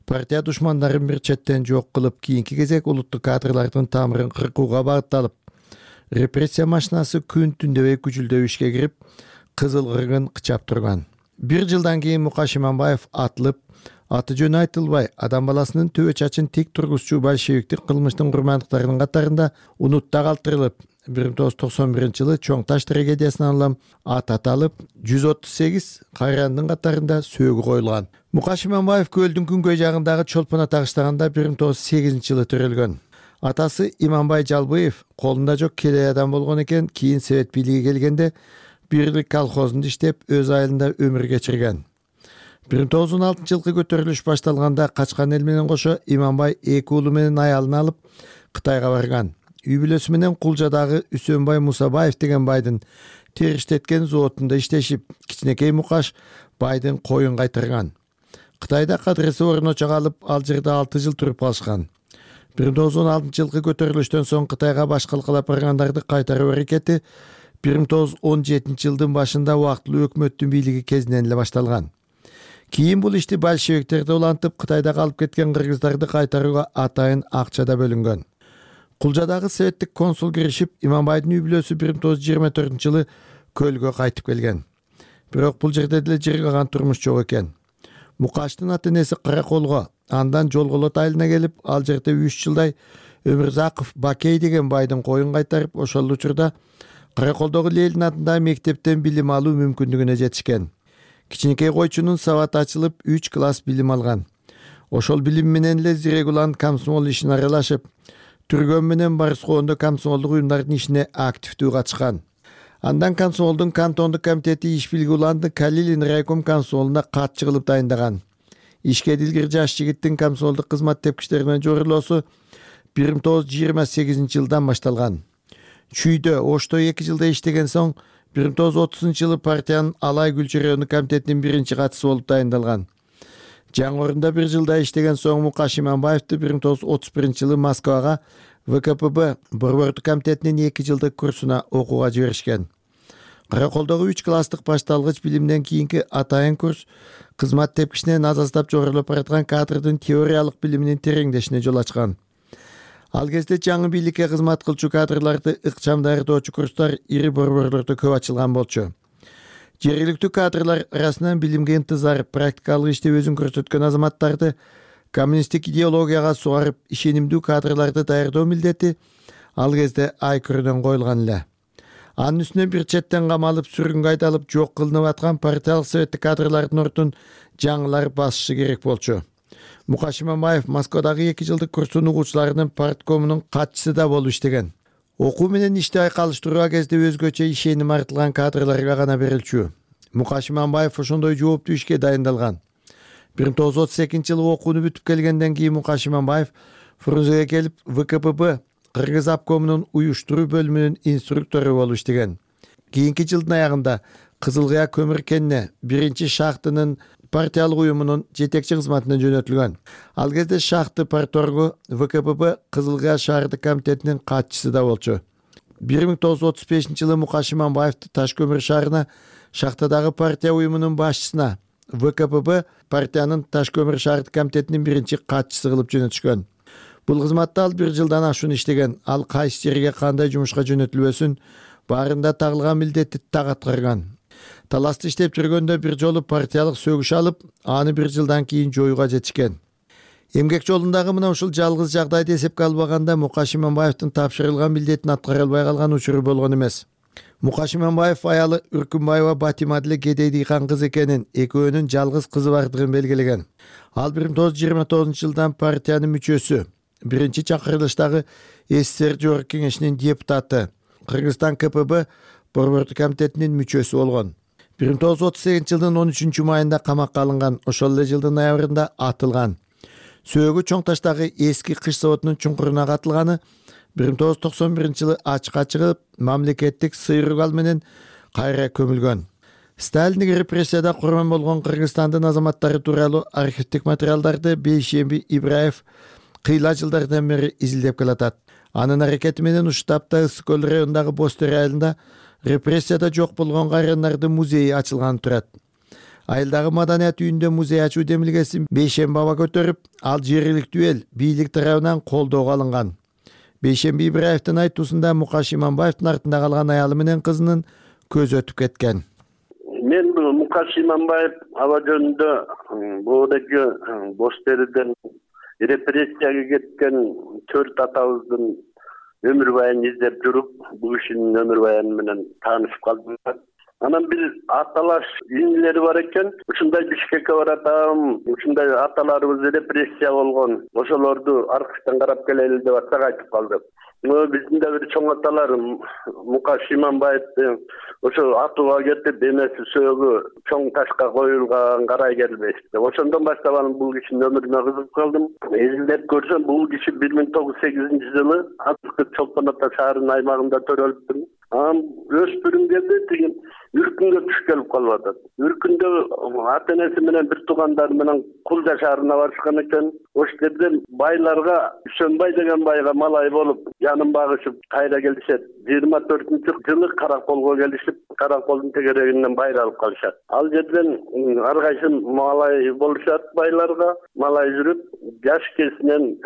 Speaker 3: партия душмандарын бир четтен жок кылып, кийинки кезек улуттук кадрлардын тамырын кыркууга багытталып, репрессия машинасы күн түндөбөй күчүлдөп ишке кирип, кызыл кыргын кычап турган. Бир жылдан кийин Мукаш Иманбаев атылып, аты жөнү айтылбай, адам баласынын төбө чачын тик тургузчу большевиктик кылмыштын курмандыктарынын катарында унутта калтырылып, бир миң тогуз жүз токсон биринчи жылы Чоң Таш трагедиясынан улам ат аталып, жүз отуз сегиз кайрандын катарында сөөгү коюлган. Мукаш Иманбаев көлдүн күнгөй жагындагы Чолпон ата кыштагында бир миң тогуз жүз сегизинчи жылы төрөлгөн. Атасы Иманбай Жалбыев колунда жок келе адам болгон экен, кийин Совет бийлиги келгенде Бирлик колхозунда иштеп, өз айылында өмүр кечирген. бир миң тогуз жүз он алтынчы жылкы көтөрүлүш башталганда качкан эл менен кошо Иманбай эки уулу менен аялын алып Кытайга барган. Үй бүлөсү менен Кулжадагы Үсөнбай Мусабаев деген байдын териштеткен заводунда иштешип, кичинекей Мукаш байдын коюн кайтарган. Кытайда кадырысы орночо калып, ал жерде алты жыл туруп калышкан. бир миң тогуз жүз он алтынчы жылкы көтөрүлүштөн соң Кытайга баш калкалап баргандарды кайтаруу аракети бир миң тогуз жүз он жетинчи жылдын башында убактылуу өкмөттүн бийлиги кезинен эле башталган. Кийин бул ишти большевиктерди улантып, Кытайда калып кеткен кыргыздарды кайтарууга атайын акча да бөлүнгөн. Кулжадагы советтик консул киришип, Иманбайдын үй бүлөсү бир миң тогуз жүз жыйырма төртүнчү жылы көлгө кайтып келген. Бирок бул жерде деле жыргаган турмуш жок экен. Мукаштын ата-энеси Караколго, андан Жолголот айылына келип, ал жерде үч жылдай Өмүрзаков Бакей деген байдын коюн кайтарып, ошол учурда Караколдогу Ленин атындагы мектептен билим алуу мүмкүндүгүнө жетишкен. Кичинекей койчунун сабаты ачылып, үч класс билим алган. Ошол билим менен эле Зирегулан комсомол ишине аралашып, Түргөн менен Барыскоондо комсомолдук уюмдардын ишине активдүү катышкан. Андан комсомолдун кантондук комитети иш билги уланды Калилин райком комсомолуна катчы кылып дайындаган. Ишке дилгир жаш жигиттин комсомолдук кызмат тепкичтеринен жорулоосу бир миң тогуз жүз жыйырма сегизинчи жылдан башталган. Чүйдө, Ошто эки жылда иштеген соң, бир миң тогуз жүз отузунчу жылы партиянын Алай Гүлчү району комитетинин биринчи катчысы болуп дайындалган. Жаңы орунда бир жылда иштеген соң Мукаш Иманбаевди бир миң тогуз жүз отуз биринчи жылы Москвага вэ ка пэ бэ борбордук комитетинин эки жылдык курсуна окууга жиберишкен. Караколдогу үч класстык башталгыч билимден кийинки атайын курс кызмат тепкичинен аз аздап жогорулап бараткан кадрдын теориялык билиминин тереңдешине жол ачкан. Ал кезде жаңы бийликке кызмат кылчу кадрларды ыкчам даярдоочу курстар ири борборлордо көп ачылган болчу. Жергиликтүү кадрлар арасынан билимге интызар, практикалык иште өзүн көрсөткөн азаматтарды коммунисттик идеологияга сугарып, ишенимдүү кадрларды даярдоо милдети ал кезде ай көрүнөн коюлган эле. Анын үстүнө бир четтен камалып, сүргүнгө айдалып, жок кылынып аткан партиялык советтик кадрлардын ордун жаңылар басышы керек болчу. Мукаш Иманбаев Москвадагы эки жылдык курстун угуучуларынын парткомунун катчысы да болуп иштеген. Окуу менен ишти айкалыштыруу кезде өзгөчө ишеним артылган кадрларга гана берилчү. Мукаш Иманбаев ошондой жооптуу ишке дайындалган. бир миң тогуз жүз отуз экинчи жылы окууну бүтүп келгенден кийин Мукаш Иманбаев Фрунзеге келип, вэ ка пэ бэ Кыргыз обкомунун уюштуруу бөлүмүнүн инструктору болуп иштеген. Кийинки жылдын аягында Кызыл Кыя көмүр кенне биринчи шахтынын партиялык уюмунун жетекчи кызматына жөнөтүлгөн. Ал кезде шахты парторгу вэ ка пэ бэ Кызыл Кыя шаардык комитетинин катчысы да болчу. бир миң тогуз жүз отуз бешинчи жылы Мукаш Иманбаевди Таш көмүр шаарына шахтадагы партия уюмунун башчысына вэ ка пэ бэ партиянын Таш көмүр шаардык комитетинин биринчи катчысы кылып жөнөтүшкөн. Бул кызматта ал бир жылдан ашуун иштеген. Ал кайсы жерге кандай жумушка жөнөтүлбөсүн баарында тагылган милдетти так аткарган. Таласты иштеп жүргөндө бир жолу партиялык сөгүш алып, аны бир жылдан кийин жоюуга жетишкен. Эмгек жолундагы мына ушул жалгыз жагдайды эсепке албаганда Мукаш Иманбаевдин тапшырылган милдетин аткара албай калган учуру болгон эмес. Мукаш Иманбаев аялы Үркүнбаева Батима деле кедей дыйкан кыз экенин, экөөнүн жалгыз кызы бардыгын белгилеген. Ал бир миң тогуз жүз жыйырма тогузунчу жылдан партиянын мүчөсү, биринчи чакырылыштагы эс эс эр жогорку кеңешинин депутаты, Кыргызстан ка пэ бэ борбордук комитетинин мүчөсү болгон. бир миң тогуз жүз отуз сегизинчи жылдын он үчүнчү майында камакка алынган, ошол эле жылдын ноябрында атылган. Сөөгү Чоң Таштагы эски кыш заводунун чуңкуруна катылганы бир миң тогуз жүз токсон биринчи жылы ачыкка чыгып, мамлекеттик сый ругал менен кайра көмүлгөн. Сталиндик репрессияда курман болгон Кыргызстандын азаматтары тууралуу архивдик материалдарды Бейшемби Ибраев кыйла жылдардан бери изилдеп келатат. Анын аракети менен ушул тапта Ысык көл районундагы Бостер айылында репрессияда жок болгон кайрандардын музейи ачылганы турат. Айылдагы маданият үйүндө музей ачуу демилгесин Бейшемби аба көтөрүп, ал жергиликтүү эл бийлик тарабынан колдоого алынган. Бейшемби Ибраевдин айтуусунда Мукаш Иманбаевдин артында калган аялы менен кызынын көзү өтүп кеткен.
Speaker 4: Мен бул Мукаш Иманбаев аба жөнүндө буудагы Бостерден репрессияга кеткен төрт атабыздын өмүр баянын издеп жүрүп, бул кишинин өмүр баяны менен таанышып калдым. Анан бир аталаш инилери бар экен. Ушундай Бишкекке баратам, ушундай аталарыбыз репрессия болгон. Ошолорду аркычтан карап келели деп атсак айтып калды. Биздин да бир чоң аталар Мукаш Иманбаевди ошо атууга кетип, эмеси сөөгү чоң ташка коюлган карай келбешти. Ошондон баштап анын бул кишинин өмүрүнө кызыгып калдым. Изилдеп көрсөм, бул киши бир миң тогуз жүз сегизинчи жылы азыркы Чолпон Ата шаарынын аймагында төрөлүптүр. Анан өспүрүм кезде тиги Үркүнгө түш келип калып атат. Үркүндө ата энеси менен бир туугандары менен Кулжа шаарына барышкан экен. Ошол жерде байларга Үсөнбай деген байга малай болуп, жанын багышып кайра келишет. жыйырма төртүнчү жылы Караколго келишип, Караколдун тегерегинен байра алып калышат. Ал жерден ар кайсы малай болушат байларга, малай жүрүп, жаш кезинен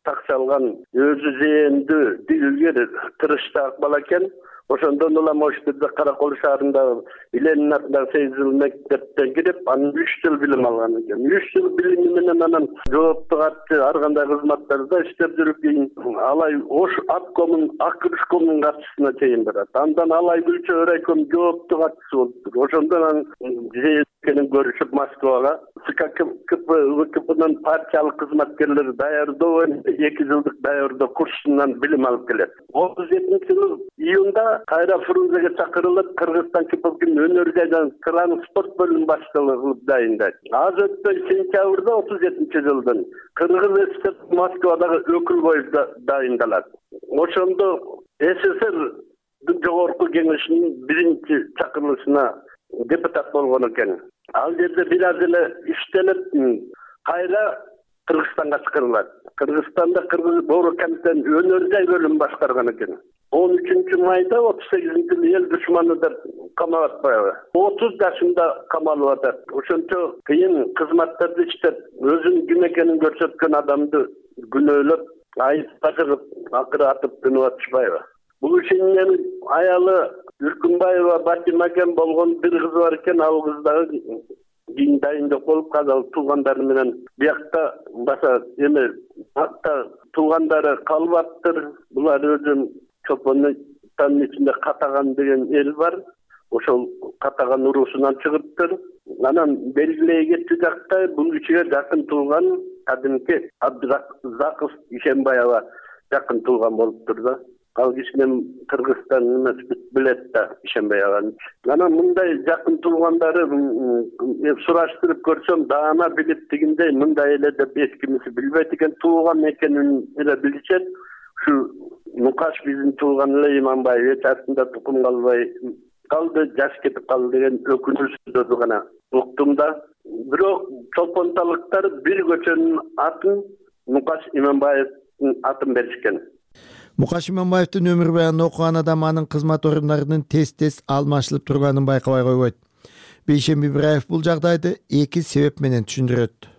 Speaker 4: такчалган өзү зээндүү, дилгер, тырыштаак бала экен. Ошондон улам ошол жерде Каракол шаарында Иленин атындагы сегиз жыл мектептен кирип, анан үч жыл билим алган экен. үч жыл билими менен анан жооптук атчы ар кандай кызматтарда иштеп жүрүп, кийин Алай Ош аткомун, Акырышкомдун катчысына чейин барат. Андан Алай Гүлчө райком жооптук атчысы болуптур. Ошондон анан жээкенин көрүшүп Москвага СККПнын партиялык кызматкерлери даярдоо эки жылдык даярдоо курсунан билим алып келет. отуз жетинчи жылы июнда кайра Фрунзеге чакырылып, Кыргызстан Республикасынын өнөр жайдан транспорт бөлүм баштыгы кылып дайындайт. Аз өтпөй сентябрда отуз жетинчи жылдын Кыргыз ССР Москвадагы өкүл болуп дайындалат. Ошондо СССРдин жогорку кеңешинин биринчи чакырылышына депутат болгон экен. Ал жерде бир аз эле иштелип, кайра Кыргызстанга чакырылат. Кыргызстанда Кыргыз Боору комитетинин өнөр жай бөлүмүн башкарган экен. он үчүнчү майда отуз сегизинчи жылы эл душманы деп камап атпайбы? отуз жашында камалып атат. Ошончо кыйын кызматтарды иштеп, өзүнүн ким экенин көрсөткөн адамды күнөөлөп, айыпка чыгып, акыры атып күнөп атышпайбы? Бул кишинин аялы Үркүнбаева Батима экен болгон бир кызы бар экен. Ал кыз дагы кийин дайындык болуп казал туугандары менен биякта баса эме атта туугандары калбаптыр. Булар өзүн Чолпондун ичинде Катаган деген эл бар. Ошол Катаган уруусунан чыгыптыр. Анан белгилей кетти жакта бул кишиге жакын тууган кадимки Абдызаков Ишенбаева жакын тууган болуптур да. Ал кишинин Кыргызстан эмес билет да Ишенбаеваны. Анан мындай жакын туугандары сураштырып көрсөм, даана билип дегендей мындай эле деп эч кимиси билбейт экен, тууган экенин эле билишет. Ушу Мукаш биздин тууган эле Иманбаев эч артында тукум калбай калды, жаш кетип калды деген өкүнүчтөрдү гана уктум да. Бирок чолпонталыктар бир көчөнүн атын Мукаш Иманбаевдин атын беришкен.
Speaker 3: Мукаш Иманбаевдин өмүр баянын окуган адам анын кызмат орундарынын тез-тез алмашылып турганын байкабай койбойт. Бейшемби Ибраев бул жагдайды эки себеп менен түшүндүрөт.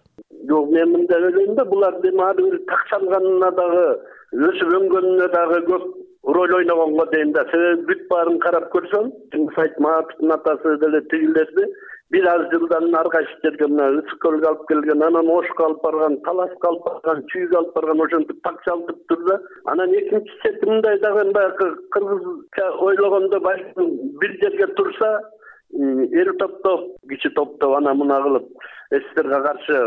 Speaker 4: Жок, мен мындай ойлойм да, булар демады такшалганына дагы, өсүп өнгөнүнө дагы көп роль ойногонго дейм да. Себеби бүт баарын карап көрсөм, Чыңгыз Айтматовдун атасы деле тигилерди бир аз жылдан ар кайсы жерге мына Ысык көлгө алып келген, анан Ошко алып барган, Таласка алып барган, Чүйгө алып барган, ошентип такчалтыптыр да. Анан экинчи чети мындай дагы баягы кыргызча ойлогондо балким бир жерге турса, эл топтоп, кичи топтоп ана мына кылып СССРга каршы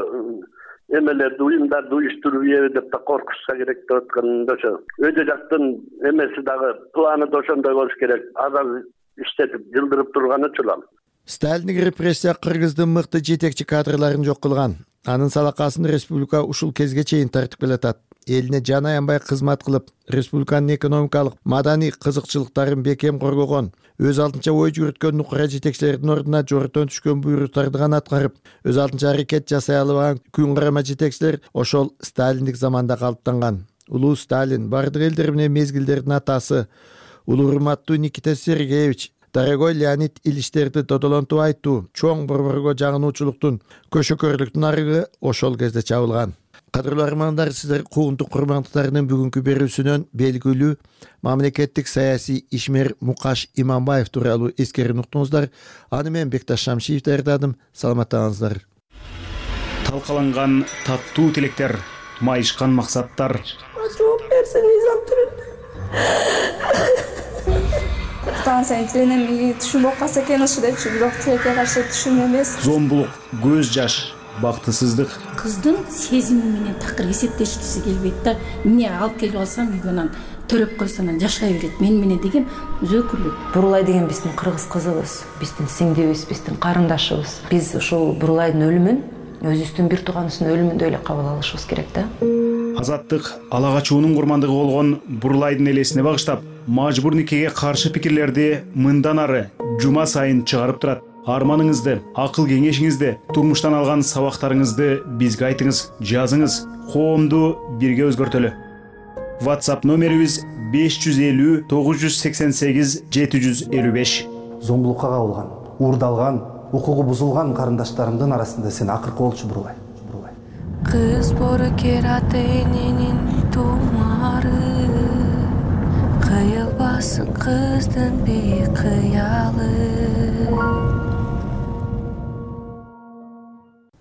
Speaker 4: эмелерди, уюмдарды уюштуруп ийеби деп да коркушса керек деп атканда ошо өйдө жактын эмеси дагы планы да ошондой болуш керек. Азыр иштетип жылдырып турганы чулам.
Speaker 3: Сталиндик репрессия Кыргыздын мыкты жетекчи кадрларын жок кылган. Анын салакасын республика ушул кезге чейин тартып келатат. элине жан аянбай кызмат кылып, республиканын экономикалык, маданий кызыкчылыктарын бекем коргогон, өз алдынча ой жүгүрткөн нукура жетекчилердин ордуна жоротон түшкөн буйруктарды гана аткарып, өз алдынча аракет жасай албаган күн карама жетекчилер ошол сталиндик заманда калыптанган. Улуу Сталин, бардык элдер менен мезгилдердин атасы, улуу урматтуу Никита Сергеевич, дорогой Леонид Ильичтерди додолонтуп айтуу, чоң борборго жагынуучулуктун, көшөкөрлүктүн арыгы ошол кезде чабылган. Кадырлуу армандар, сиздер куугунтук курмандыктарынын бүгүнкү берүүсүнөн белгилүү мамлекеттик саясий ишмер Мукаш Иманбаев тууралуу эскерүүнү уктуңуздар. Аны мен Бекташ Шамшиев даярдадым. Саламаттаңыздар.
Speaker 5: Талкаланган таттуу тилектер, майышкан максаттар.
Speaker 13: Жооп берсең изам станцияны тиленем, түшүм болуп калса экен ушу депчи, бирок тилекке каршы түшүм эмес.
Speaker 5: Зомбулук, көз жаш, бактысыздык.
Speaker 6: Кыздын сезими менен такыр эсептешкиси келбейт да. Эмне алып келип алсам үйгөнөн төрөп койсо анан жашай берет. Мен менен деген өзөкүлүк.
Speaker 7: Бурулай деген биздин кыргыз кызыбыз, биздин сиңдибиз, биздин карындашыбыз. Биз ушул Бурулайдын өлүмүн өзүбүздүн бир тууганыбыздын өлүмүндөй эле кабыл алышыбыз керек да.
Speaker 5: Азаттык ала качуунун курмандыгы болгон Бурулайдын элесине багыштап, мажбур никеге каршы пикирлерди мындан ары жума сайын чыгарып турат. Арманыңызды, акыл кеңешиңизди, турмуштан алган сабактарыңызды бизге айтыңыз, жазыңыз. Коомду бирге өзгөртөлү. WhatsApp номерибиз беш жүз элүү тогуз жүз сексен сегиз жети жүз элүү беш.
Speaker 24: Зомбулукка кабылган, уурдалган, укугу бузулган карындаштарымдын арасында сен акыркы болчу Бурулай.
Speaker 25: Кыз бору кераты эненин тумары, кыйылбасын кыздын бейик кыялы.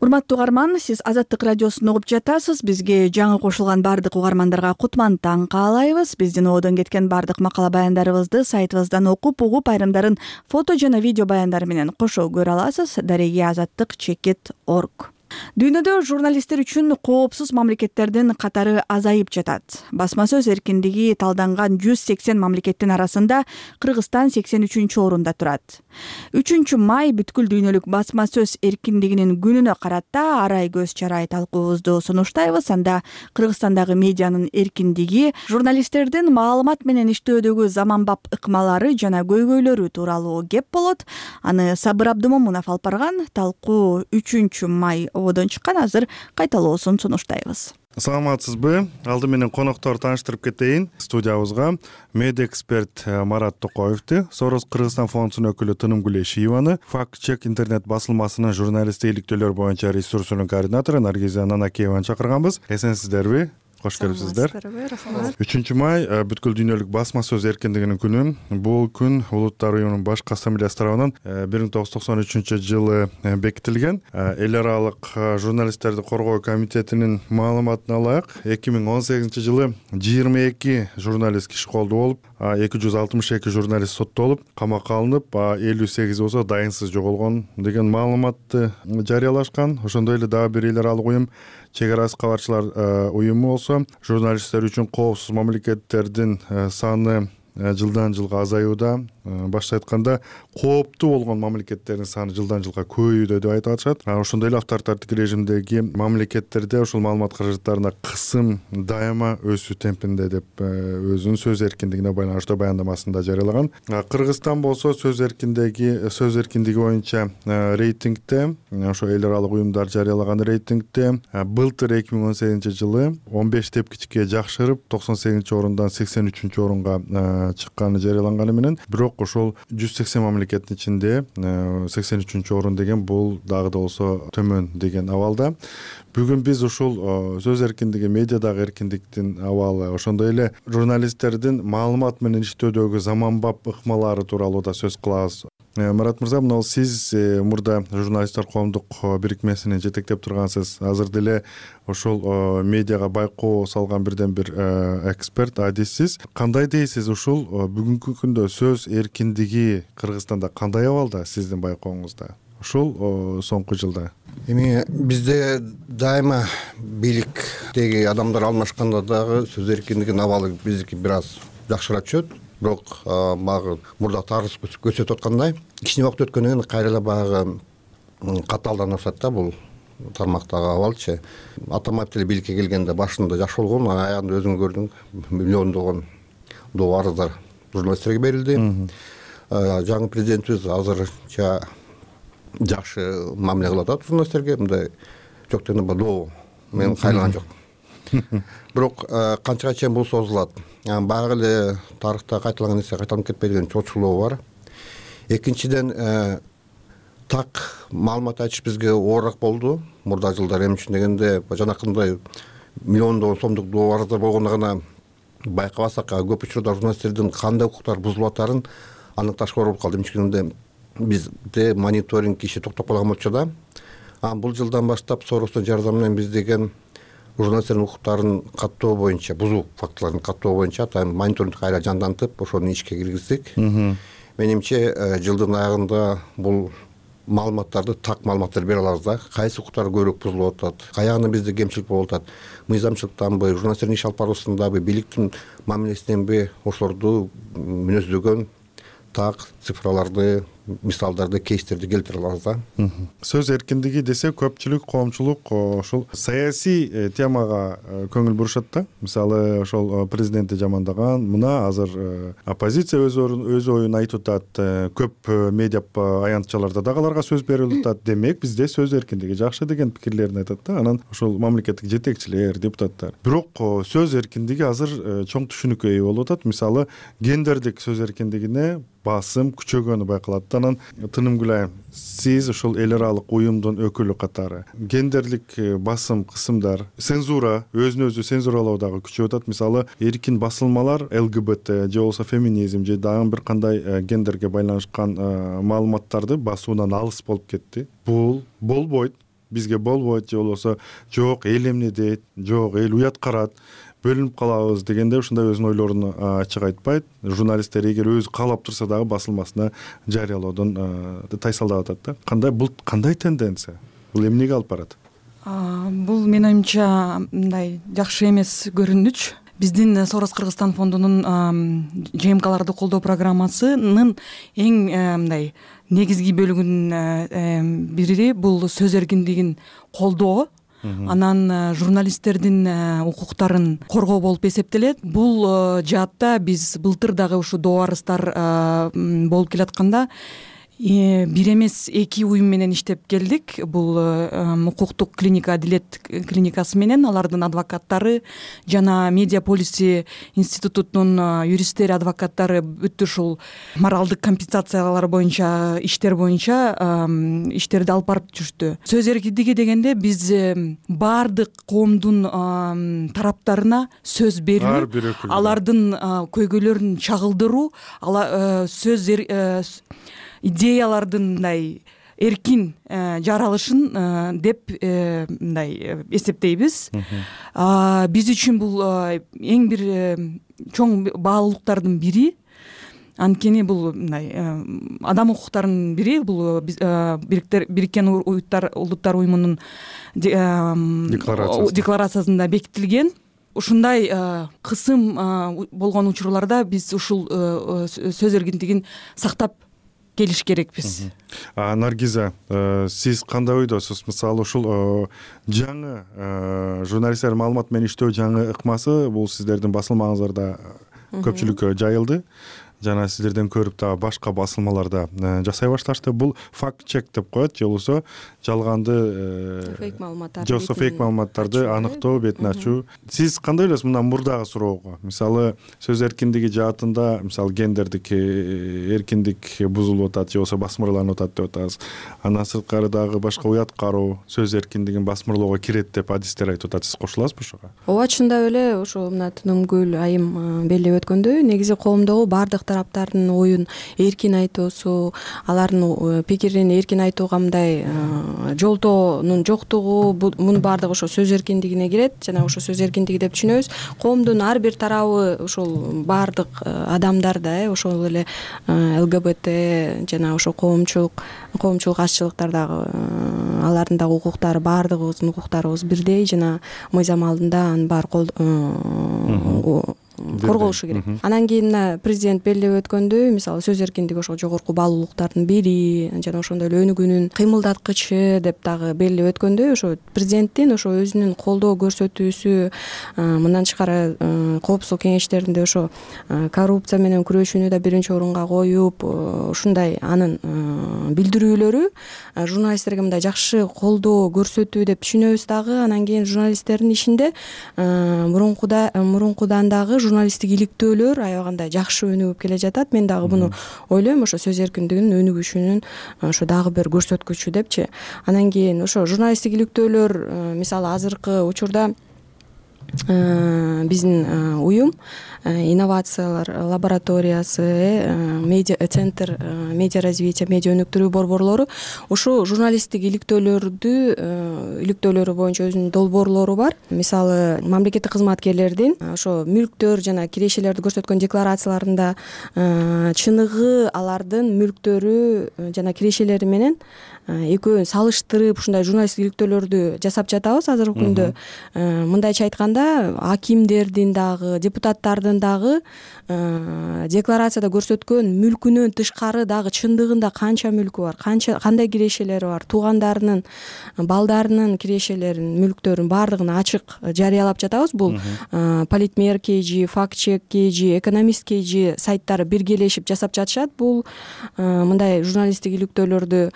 Speaker 1: Урматтуу угарман, сиз Азаттык радиосун угуп жатасыз. Бизге жаңы кошулган бардык угармандарга кутман таң каалайбыз. Биздин оодон кеткен бардык макала баяндарыбызды сайтыбыздан окуп, угуп, айрымдарын фото жана видео баяндар менен кошо көрө аласыз. дареги азаттык чекит точка орг. Дүйнөдө журналисттер үчүн коопсуз мамлекеттердин катары азайып жатат. Басма сөз эркиндиги талданган жүз сексен мамлекеттин арасында Кыргызстан сексен үчүнчү орунда турат. үчүнчү май бүткүл дүйнөлүк басма сөз эркиндигинин күнүнө карата арай көз чарай талкуубузду сунуштайбыз. Анда Кыргызстандагы медианын эркиндиги, журналисттердин маалымат менен иштөөдөгү заманбап ыкмалары жана көйгөйлөрү тууралуу кеп болот. Аны Сабыр Абдымомунов алып барган. Талкуу үчүнчү май оодон чыккан. Азыр кайталоосун сунуштайбыз.
Speaker 26: Саламатсызбы? Алды менен коноктор тааныштырып кетейин. Студиябызга медиа эксперт Марат Токоевди, Сорос Кыргызстан фондунун өкүлү Тыным Гулешиеваны, Факт чек интернет басылмасынын журналисттик иликтөөлөр боюнча ресурсунун координатору Наргиза Нанакиеваны чакырганбыз. Эсенсиздерби? Кош келипсиздер. үчүнчү май бүткүл дүйнөлүк басма сөз эркиндигинин күнү. Бул күн Улуттар уюмунун башкы ассамблеясы тарабынан бир миң тогуз жүз токсон үчүнчү жылы бекитилген. Эл аралык журналисттерди коргоо комитетинин маалыматына ылайык, эки миң он сегизинчи жылы жыйырма эки журналист киши колдуу болуп, эки жүз алтымыш эки журналист соттолуп, камакка алынып, элүү сегиз болсо дайынсыз жоголгон деген маалыматты жарыялашкан. Ошондой эле дагы бир эл аралык уюм, Чек арасы кабарчылар уюму болсо, журналисттер үчүн коопсуз мамлекеттердин саны жылдан жылга азаюуда. Башта айтканда, кооптуу болгон мамлекеттердин саны жылдан жылга көбөйүүдө деп айтып атышат. Ошондой эле авторитардык режимдеги мамлекеттерде ушул маалымат каражаттарына кысым дайыма өсүү темпинде деп өзүнүн сөз эркиндигине байланыштуу баяндамасында жарыялаган. Кыргызстан болсо сөз эркиндиги сөз эркиндиги боюнча рейтингде, ошо эл аралык уюмдар жарыялаган рейтингде былтыр эки миң он сегизинчи жылы он беш тепкичке жакшырып, токсон сегизинчи орундан сексен үчүнчү орунга чыкканы жарыяланганы менен, бирок ошол жүз сексен мамлекеттин ичинде сексен үчүнчү орун деген бул дагы да болсо төмөн деген абалда. Бүгүн биз ушул сөз эркиндиги, медиадагы эркиндиктин абалы, ошондой эле журналисттердин маалымат менен иштөөдөгү заманбап ыкмалары тууралуу да сөз кылабыз. Марат мырза, мына сиз мурда журналисттер коомдук бирикмесинин жетектеп тургансыз. Азыр деле ошол медиага байкоо салган бирден бир эксперт, адиссиз. Кандай дейсиз, ушул бүгүнкү күндө сөз эркиндиги Кыргызстанда кандай абалда сиздин байкооңузда? Ушул соңку жылда.
Speaker 27: Эми бизде дайыма бийликтеги адамдар алмашканда дагы сөз эркиндигинин абалы биздики бир аз жакшыраак түшөт. Бирок багы мурда тарыс көрсөтүп аткандай, кичине убакыт өткөндөн кийин кайра эле багы катаалданып атат да бул тармактагы абалчы атамаев деле бийликке келгенде башында жакшы болгон, анан аягында өзүң көрдүң, миллиондогон доо арыздар журналисттерге берилди. Жаңы президентибиз азырча жакшы мамиле кылып атат журналисттерге, мындай жок дегенде доо мен кайлаган жок. Бирок канчага чейин бул созулат? Баягы эле тарыхта кайталаган нерсе кайталанып кетпей деген чоочулоо бар. Экинчиден, так маалымат айтыш бизге оорураак болду мурда жылдары. Эмне үчүн дегенде, жанакындай миллиондогон сомдук доо арыздар болгондо гана байкабасак, көп учурда журналисттердин кандай укуктары бузулуп атарын аныкташка болуп калды. Эмне үчүн дегенде, бизде мониторинг иши токтоп калган болчу да. А бул жылдан баштап Соростун жардамы менен биз деген журналисттердин укуктарын каттоо боюнча, бузуу фактыларын каттоо боюнча атайын мониторинг кайра жандантып, ошону ишке киргиздик. Менимче жылдын аягында бул маалыматтарды, так маалыматтарды бере алабыз да. Кайсы укуктар көбүрөөк бузулуп атат, каягында бизде кемчилик болуп атат, мыйзамчылыктанбы, журналисттердин иш алып баруусундабы, бийликтин мамилесиненби, ошолорду мүнөздөгөн так цифраларды, мисалдарды, кейстерди келтире алабыз да.
Speaker 26: Сөз эркиндиги десе көпчүлүк, коомчулук ошол саясий темага көңүл бурушат да. Мисалы, ошол президентти жамандаган, мына азыр оппозиция өз өз оюн айтып атат, көп медиа аянтчаларда дагы аларга сөз берилип атат. Демек, бизде сөз эркиндиги жакшы деген пикирлерин айтат да. Анан ошол мамлекеттик жетекчилер, депутаттар. Бирок сөз эркиндиги азыр чоң түшүнүккө ээ болуп атат. Мисалы, гендердик сөз эркиндигине басым күчөгөнү байкалат. Анан Тынымгүл айым, сиз ошол эл аралык уюмдун өкүлү катары гендерлик басым кысымдар, цензура, өзүн өзү цензуралоо дагы күчөп атат. Мисалы, эркин басылмалар эл гэ бэ тэ же болбосо феминизм же дагы бир кандай гендерге байланышкан маалыматтарды басуудан алыс болуп кетти. Бул болбойт, бизге болбойт же болбосо жок эл эмне дейт, жок эл уят карат, бөлүнүп калабыз дегенде ушундай өзүнүн ойлорун ачык айтпайт. Журналисттер эгер өзү каалап турса дагы басылмасына жарыялоодон тайсалдап атат да. Кандай бул кандай тенденция? Бул эмнеге алып барат?
Speaker 9: Бул менин оюмча мындай жакшы эмес көрүнүч. Биздин Сорос Кыргызстан фондунун же эм каларды колдоо программасынын эң мындай негизги бөлүгүнүн бири бул сөз эркиндигин колдоо. Анан журналисттердин укуктарын коргоо болуп эсептелет. Бул жаатта биз былтыр дагы ушу доо арыздар болуп келатканда бир эмес эки уюм менен иштеп келдик. Бул укуктук клиника Адилет клиникасы менен алардын адвокаттары жана Медиа полиси институтунун юристтери, адвокаттары бүт ушул моралдык компенсациялар боюнча, иштер боюнча иштерди алып барып жүрүштү. Сөз эркиндиги дегенде биз баардык коомдун тараптарына сөз берүү, алардын көйгөйлөрүн чагылдыруу, сөз идеялардын мындай эркин жаралышын деп мындай эсептейбиз. Биз үчүн бул эң бир чоң баалуулуктардын бири. Анткени бул мындай адам укуктарынын бири, бул Бириккен Улуттар уюмунун декларациясында бекитилген. Ушундай кысым болгон учурларда биз ушул сөз эркиндигин сактап келиш керекпиз.
Speaker 26: Наргиза, сиз кандай ойдосуз? Мисалы, ушул жаңы журналисттер маалымат менен иштөө жаңы ыкмасы бул сиздердин басылмаңыздарда көпчүлүккө жайылды. Жана сиздерден көрүп дагы башка басылмаларда жасай башташты. Бул факт чек деп коет, же болбосо жалганды фейк маалыматтарды, же болбосо фейк маалыматтарды аныктоо, бетин ачуу. Сиз кандай ойлойсуз мындан мурдагы суроого? Мисалы, сөз эркиндиги жаатында, мисалы, гендердик эркиндик бузулуп атат, же болбосо басмырланып атат деп атабыз. Андан сырткары дагы башка уят кароо, сөз эркиндигин басмырлоого кирет деп адистер айтып атат. Сиз кошуласызбы ошого?
Speaker 11: Ооба, чындап эле ошо мына Тынымгүл айым белгилеп өткөндөй, негизи коомдогу баардык тараптардын оюн эркин айтуусу, алардын пикирин эркин айтууга мындай жолтоонун жоктугу, мунун баардыгы ошо сөз эркиндигине кирет. Жана ошо сөз эркиндиги деп түшүнөбүз. Коомдун ар бир тарабы, ошол баардык адамдар да, ошол эле эл гэ бэ тэ жана ошо коомчулук, коомчулук азчылыктар дагы, алардын дагы укуктары, баардыгыбыздын укуктарыбыз бирдей жана мыйзам алдында анын баары корголушу керек. Анан кийин мына президент белгилеп өткөндөй, мисалы сөз эркиндиги ошо жогорку баалуулуктардын бири жана ошондой эле өнүгүүнүн кыймылдаткычы деп дагы белгилеп өткөндөй, ошо президенттин ошо өзүнүн колдоо көрсөтүүсү, мындан тышкары коопсуздук кеңештеринде ошо коррупция менен күрөшүүнү да биринчи орунга коюп, ушундай анын билдирүүлөрү журналисттерге мындай жакшы колдоо көрсөтүү деп түшүнөбүз дагы. Анан кийин журналисттердин ишинде мурункуда мурункудан дагы журналисттик иликтөөлөр аябагандай жакшы өнүгүп келе жатат. Мен дагы буну ойлойм, ошо сөз эркиндигинин өнүгүшүнүн ошо дагы бир көрсөткүчү депчи. Анан кийин ошо журналисттик иликтөөлөр, мисалы азыркы учурда биздин уюм инновациялар лабораториясы, медиа центр медиа развития, медиа өнүктүрүү борборлору ушул журналисттик иликтөөлөрдү иликтөөлөрү боюнча өзүнүн долбоорлору бар. Мисалы мамлекеттик кызматкерлердин ошо мүлктөр жана кирешелерди көрсөткөн декларацияларында чыныгы алардын мүлктөрү жана кирешелери менен экөөнүн салыштырып ушундай журналисттик иликтөөлөрдү жасап жатабыз азыркы күндө. Мындайча айтканда, акимдердин дагы, депутаттардын дагы декларацияда көрсөткөн мүлкүнөн тышкары дагы чындыгында канча мүлкү бар, канча кандай кирешелери бар, туугандарынын, балдарынын кирешелерин, мүлктөрүн баардыгын ачык жарыялап жатабыз. Бул Политмер kg, Фактчек kg, Экономист kg сайттары биргелешип жасап жатышат. Бул мындай журналисттик иликтөөлөрдү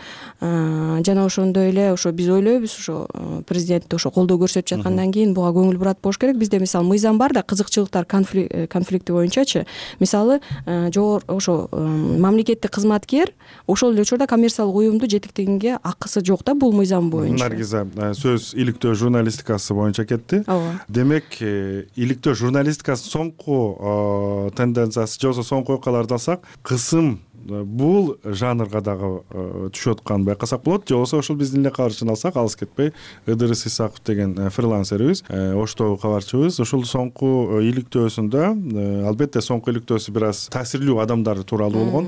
Speaker 11: жана ошондой эле ошо биз ойлойбуз, ошо президент ошо колдоо көрсөтүп жаткандан кийин буга көңүл бурат болуш керек. Бизде мисалы мыйзам бар да, кызыкчылыктар конфликти боюнчачы. Мисалы жогор ошо мамлекеттик кызматкер ошол эле учурда коммерциялык уюмду жетектегенге акысы жок да, бул мыйзам боюнча.
Speaker 26: Наргиза, сөз иликтөө журналистикасы боюнча кетти.
Speaker 11: Ооба.
Speaker 26: Демек, иликтөө журналистикасынын соңку тенденциясы же болбосо соңку окуяларды алсак, кысым бул жанрга дагы түшүп атканын байкасак болот. Же болбосо ушул биздин эле кабарчыны алсак, алыс кетпей, Ыдырыс Исаков деген фрилансерибиз, Оштогу кабарчыбыз, ушул соңку иликтөөсүндө, албетте соңку иликтөөсү бир аз таасирлүү адамдар тууралуу болгон.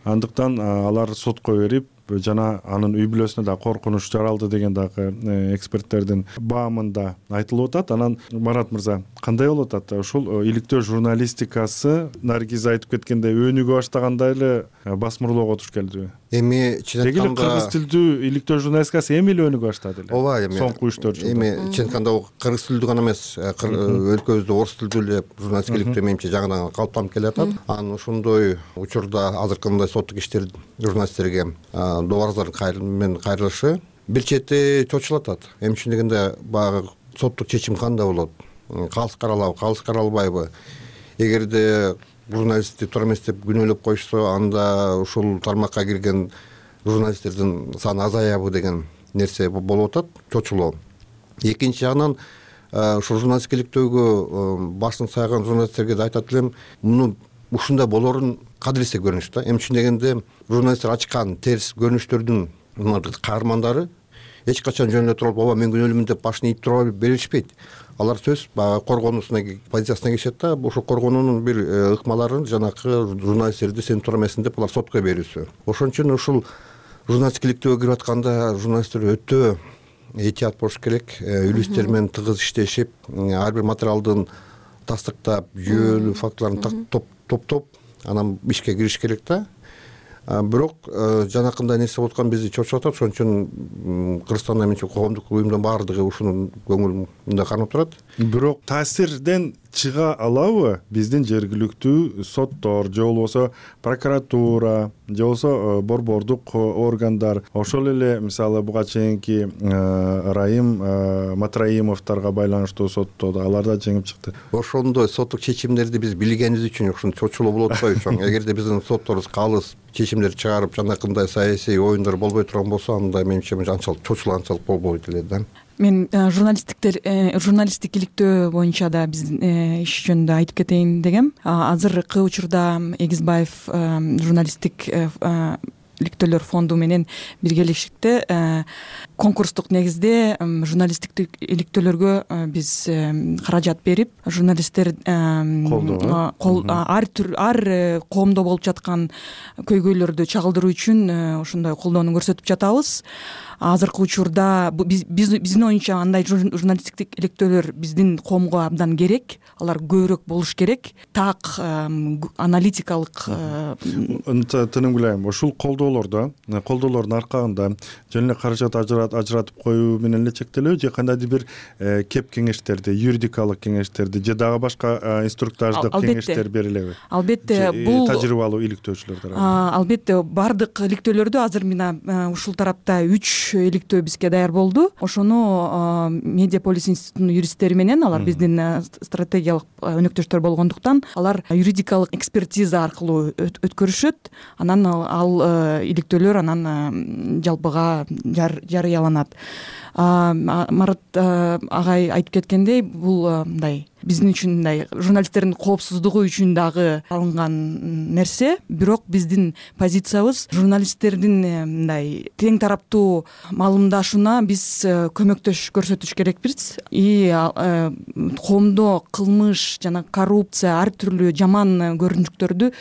Speaker 26: Андыктан алар сотко берип, жана анын үй бүлөсүнө да коркунуч жаралды деген дагы эксперттердин баамында айтылып атат. Анан Марат мырза, кандай болуп атат ушул иликтөө журналистикасы Наргиза айтып кеткендей өнүгө баштагандай эле басмырлоого туш келдиби?
Speaker 27: Эми чын айтканда,
Speaker 26: деги эле кыргыз тилдүү иликтөө журналистикасы эми эле өнүгө баштады эле.
Speaker 27: Ооба, эми
Speaker 26: соңку үч төрт жылда.
Speaker 27: Эми чын айтканда кыргыз тилдүү гана эмес, өлкөбүздө орус тилдүү эле журналистика иликтөө менимче жаңыдан калыптанып келатат. Анан ошондой учурда азыркындай соттук иштер журналисттерге добарыздар менен кайрылышы бир чети чочулатат. Эми чын дегенде баягы соттук чечим кандай болот? Калыс каралабы, калыс каралбайбы? Эгерде журналистти туура эмес деп күнөөлөп коюшса, анда ушул тармакка кирген журналисттердин саны азаябы деген нерсе болуп атат, чочулоо. Экинчи жагынан ушул журналистика иликтөөгө башын сайган журналисттерге да айтат элем, муну ушундай болорун кадырлесе көрүнүш да. Эми чын дегенде журналисттер ачкан терс көрүнүштөрдүн каармандары эч качан жөн эле туруп, ооба мен күнөөлүүмүн деп башын ийип тура беришпейт. Алар сөз баягы коргонуусуна позициясына киришет да, ошол коргонуунун бир ыкмаларын жанакы журналисттерди сен туура эмессиң деп алар сотко берүүсү. Ошон үчүн ушул журналистика иликтөөгө кирип атканда журналисттер өтө этият болуш керек, үлүстер менен тыгыз иштешип, ар бир материалдын тастыктап, жүйөлүү фактыларын топтоп, анан ишке кириш керек да. Бирок жанакындай нерсе болуп аткан бизди чочуп атат. Ошон үчүн Кыргызстанда менче коомдук уюмдун баардыгы ушуну көңүлүндө кармап турат.
Speaker 26: Бирок таасирден чыга алабы биздин жергиликтүү соттор же болбосо прокуратура же болбосо борбордук органдар, ошол эле мисалы буга чейинки Райым Матраимовдорго байланыштуу сотто алар да жеңип чыкты.
Speaker 27: Ошондой соттук чечимдерди биз билгенибиз үчүн ушунча чочулоо болуп атпайбы чоң? Эгерде биздин сотторубуз калыс чечимдер чыгарып, жанакындай саясий оюндар болбой турган болсо, анда менимче анчалык чочулганчалык болбойт эле да.
Speaker 9: Мен журналисттиктер журналисттик иликтөө боюнча да биз иш жөнүндө айтып кетейин дегем. Азыркы учурда Эгизбаев журналисттик иликтөөлөр фонду менен биргелешикте конкурстук негизде журналисттик иликтөөлөргө биз каражат берип, журналисттер ар түр ар коомдо болуп жаткан көйгөйлөрдү чагылдыруу үчүн ошондой колдоону көрсөтүп жатабыз. азыркы учурда биздин оюнча андай журналисттик иликтөөлөр биздин коомго абдан керек, алар көбүрөөк болуш керек. Так аналитикалык
Speaker 26: тынымгүлайм ушул колдоолордо колдоолордун аркагында жөн эле каражат ажыратып коюу менен эле чектелеби же кандайдыр бир кеп кеңештерди, юридикалык кеңештерди же дагы башка инструктаждык кеңештер берилеби?
Speaker 9: Албетте, бул
Speaker 26: тажрыйбалуу иликтөөчүлөр
Speaker 9: тарабынан. Албетте, бардык иликтөөлөрдү азыр мына ушул тарапта үч иликтөө бизге даяр болду. Ошону Медиаполис институтунун юристтери менен, алар биздин стратегиялык өнөктөштөр болгондуктан, алар юридикалык экспертиза аркылуу өткөрүшөт. Анан ал иликтөөлөр анан жалпыга жарыяланат. Марат агай айтып кеткендей, бул мындай биздин үчүн мындай журналисттердин коопсуздугу үчүн дагы алынган нерсе. Бирок биздин позициябыз журналисттердин мындай тең тараптуу маалымдашууна биз көмөктөш көрсөтүш керекпиз. И коомдо кылмыш жана коррупция, ар түрлүү жаман көрүнүктөрдү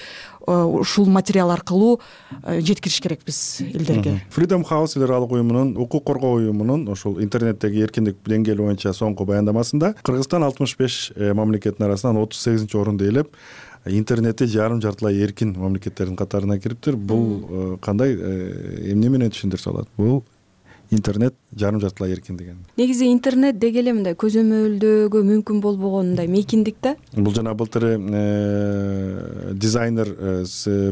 Speaker 9: ушул материал аркылуу жеткириш керекпиз элдерге.
Speaker 26: Freedom House эл аралык уюмунун, укук коргоо уюмунун ошол интернеттеги эркиндик деңгээли боюнча соңку баяндамасында Кыргызстан алтымыш беш мамлекеттин арасынан отуз сегизинчи орунду ээлеп, интернетти жарым жартылай эркин мамлекеттердин катарына кириптир. Бул кандай, эмне менен түшүндүрсө болот? Бул интернет жарым жартылай эркин деген.
Speaker 11: Негизи интернет деги эле мындай көзөмөлдөөгө мүмкүн болбогон мындай мейкиндик да.
Speaker 26: Бул жана былтыр дизайнер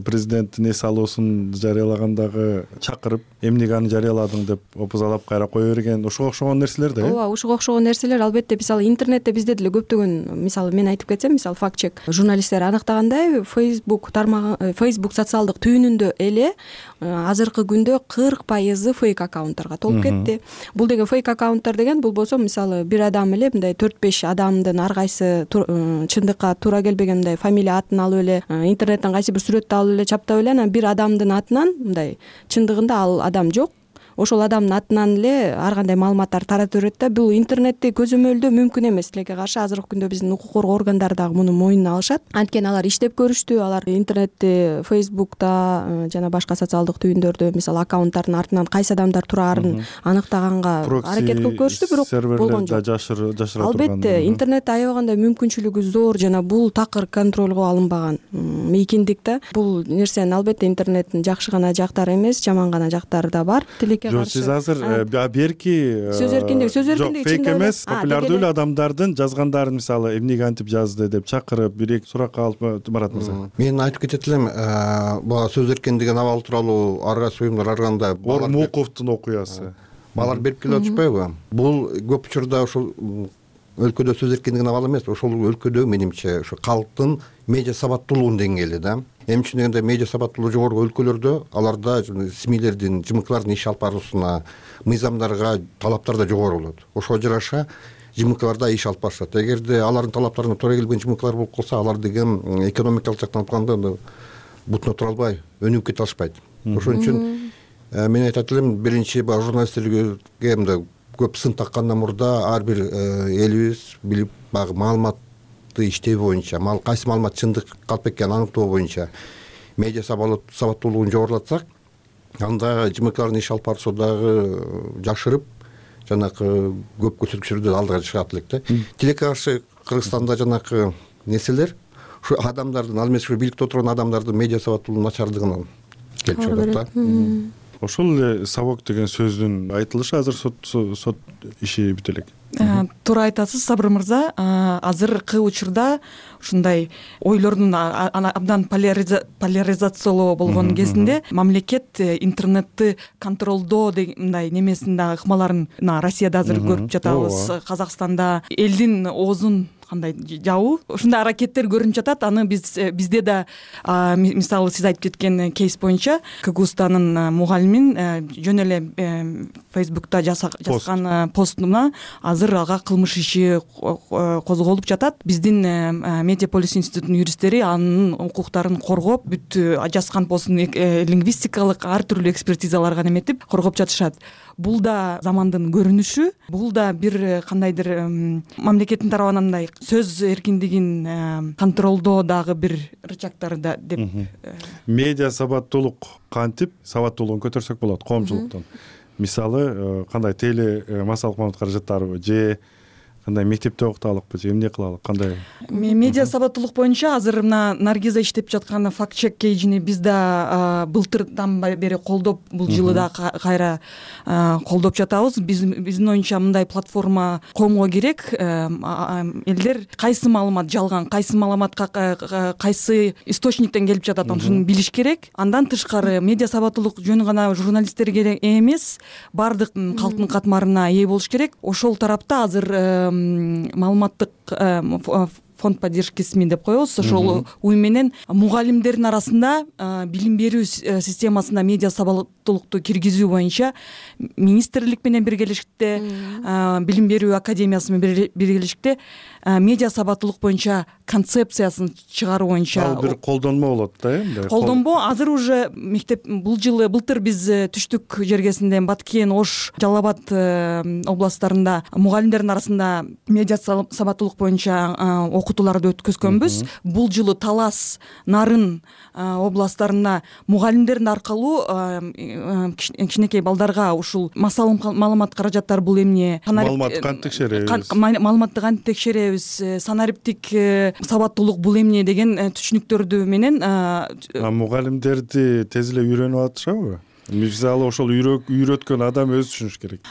Speaker 26: президент эне салуусун жарыялагандагы чакырып, эмнеге аны жарыяладың деп опузалап кайра кое берген, ошого окшогон нерселер да.
Speaker 11: Ооба, ошого окшогон нерселер. Албетте, мисалы интернетте бизде деле көптөгөн, мисалы мен айтып кетсем, мисалы факт чек журналисттер аныктагандай, Facebook тармагы, Facebook социалдык түйүнүндө эле азыркы күндө кырк пайызы фейк аккаунттарга толуп кетти. Бул деген фейк аккаунттар деген, бул болсо мисалы бир адам эле мындай төрт беш адамдын ар кайсы чындыкка туура келбеген мындай фамилия атын алып эле, интернеттен кайсы бир сүрөттү алып эле чаптап эле, анан бир адамдын атынан мындай чындыгында ал адам жок, ошол адамдын атынан эле ар кандай маалыматтар таратып берет да. Бул интернетти көзөмөлдөө мүмкүн эмес. Тилекке каршы азыркы күндө биздин укук коргоо органдары дагы муну мойнуна алышат. Анткени алар иштеп көрүштү, алар интернетти, Facebook'та жана башка социалдык түйүндөрдө мисалы аккаунттардын артынан кайсы адамдар турарын аныктаганга аракет кылып көрүштү, бирок болгон жок.
Speaker 26: Жашыра турган.
Speaker 11: Албетте, интернетте аябагандай мүмкүнчүлүгү зор жана бул такыр контролго алынбаган мейкиндик да. Бул нерсенин албетте интернеттин жакшы гана жактары эмес, жаман гана жактары да бар.
Speaker 26: Жок, сиз азыр берки
Speaker 11: сөз эркиндиги, сөз эркиндиги
Speaker 26: фейк эмес, популярдуу эле адамдардын жазгандарын мисалы эмнеге антип жазды деп чакырып, бир-эки суракка алып Марат мырза.
Speaker 27: Мен айтып кетет элем, бул сөз эркиндигин абалы тууралуу ар кайсы уюмдар ар кандай
Speaker 26: Ормуковдун окуясы.
Speaker 27: Балар берип келип атышпайбы? Бул көп учурда ошол өлкөдө сөз эркиндигине абалы эмес, ошол өлкөдө менимче ошо калктын медиа сабаттуулугунун деңгээли да. Эмне үчүн дегенде, медиа сабаттуулугу жогору өлкөлөрдө аларда СМИлердин, ЖМКлардын иш алып баруусуна, мыйзамдарга талаптар да жогору болот. Ошого жараша ЖМКларда иш алып барышат. Эгерде алардын талаптарына туура келбеген ЖМКлар болуп калса, алар деген экономикалык жактан алганда бутуна тура албай, өнүгүп кете алышпайт. Ошон үчүн мен айтат элем, биринчи баягы журналисттерге мындай көп сын таккандан мурда ар бир элибиз билип, баягы маалымат иштөө боюнча, кайсы маалымат чындык калп экенин аныктоо боюнча медиа сабаттуулугун жогорулатсак, анда ЖМКлардын иш алып баруусу дагы жашырып, жанакы көп көрсөткүчтөрдө алдыга чыгат элек да. Тилекке каршы Кыргызстанда жанакы нерселер ушу адамдардын, ал эмес ушу бийликте отурган адамдардын медиа сабаттуулугунун начардыгынан келип чыгат да.
Speaker 26: Ошол эле сабок деген сөздүн айтылышы азыр сот иши бүтө элек.
Speaker 9: Туура айтасыз, Сабыр мырза. Азыркы учурда ушундай ойлордун абдан поляризациялоо болгон кезинде мамлекет интернетти контролдоо деген мындай немесин дагы ыкмаларын Россияда азыр көрүп жатабыз. Казакстанда элдин оозун кандай жабуу, ушундай аракеттер көрүнүп жатат. Аны биз бизде да мисалы сиз айтып кеткен кейс боюнча КГУстанын мугалимин жөн эле Facebook'та жазган постуна азыр ага кылмыш иши козголуп жатат. Биздин Медиаполис институтунун юристтери анын укуктарын коргоп, бүт жазган постун лингвистикалык ар түрлүү экспертизаларга неметип коргоп жатышат. Бул да замандын көрүнүшү, бул да бир кандайдыр мамлекеттин тарабынан мындай сөз эркиндигин контролдоо дагы бир рычагтары да деп.
Speaker 26: Медиа сабаттуулук кантип сабаттуулугун көтөрсөк болот коомчулуктун. мисалы кандай теле массалык маалымат каражаттарыбы же кандай мектепте окуталыкпы же эмне кылалык, кандай?
Speaker 9: Медиа сабаттуулук боюнча азыр мына Наргиза иштеп жаткан факт чек кейжини биз да былтырдан бери колдоп, бул жылы да кайра колдоп жатабыз. Биздин оюнча мындай платформа коомго керек. Элдер кайсы маалымат жалган, кайсы маалыматка кайсы источниктен келип жатат, ошону билиш керек. Андан тышкары медиа сабаттуулук жөнү гана журналисттерге эмес, баардык калктын катмарына ээ болуш керек. Ошол тарапта азыр маалыматтык фонд поддержки СМИ деп коебуз. Ошол уюм менен мугалимдердин арасында билим берүү системасына медиа сабаттуулукту киргизүү боюнча министрлик менен биргелешикте, билим берүү академиясы менен биргелешикте медиа сабаттуулук боюнча концепциясын чыгаруу боюнча
Speaker 26: ал бир колдонмо болот да, э?
Speaker 9: Колдонмо азыр уже мектеп бул жылы былтыр биз түштүк жергесинде Баткен, Ош, Жалал Абад областтарында мугалимдердин арасында медиа сабаттуулук боюнча окутууларды өткөзгөнбүз. Бул жылы Талас, Нарын областтарында мугалимдердин аркылуу кичинекей балдарга ушул массалык маалымат каражаттары бул эмне,
Speaker 26: маалыматты кантип текшеребиз,
Speaker 9: маалыматты кантип текшеребиз, санариптик сабаттуулук бул эмне деген түшүнүктөрдү менен
Speaker 26: мугалимдерди тез эле үйрөнүп атышабы? Мисалы ошол үйрөткөн адам өзү түшүнүш керек.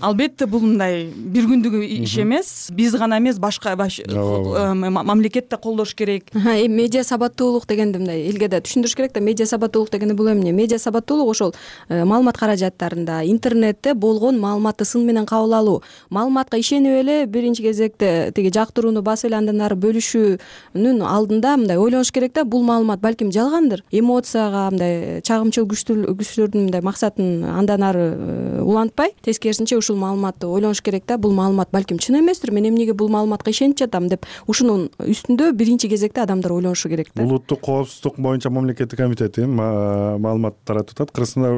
Speaker 9: Албетте бул мындай бир күндүк иш эмес. Биз гана эмес, башка мамлекет да колдош керек.
Speaker 11: Эми медиа сабаттуулук дегенди мындай элге да түшүндүрүш керек да. Медиа сабаттуулук дегенде бул эмне? Медиа сабаттуулук ошол маалымат каражаттарында, интернетте болгон маалыматты сын менен кабыл алуу. Маалыматка ишенип эле биринчи кезекте тиги жактырууну басып эле андан ары бөлүшүүнүн алдында мындай ойлонуш керек да. Бул маалымат балким жалгандыр. Эмоцияга мындай чагымчыл күчтөр мындай максатын андан ары улантпай, тескерисинче ушул маалыматты ойлонуш керек да. Бул маалымат балким чын эместир, мен эмнеге бул маалыматка ишенип жатам деп ушунун үстүндө биринчи кезекте адамдар ойлонушу керек да.
Speaker 26: Улуттук коопсуздук боюнча мамлекеттик комитети маалымат таратып атат. Кыргызстанда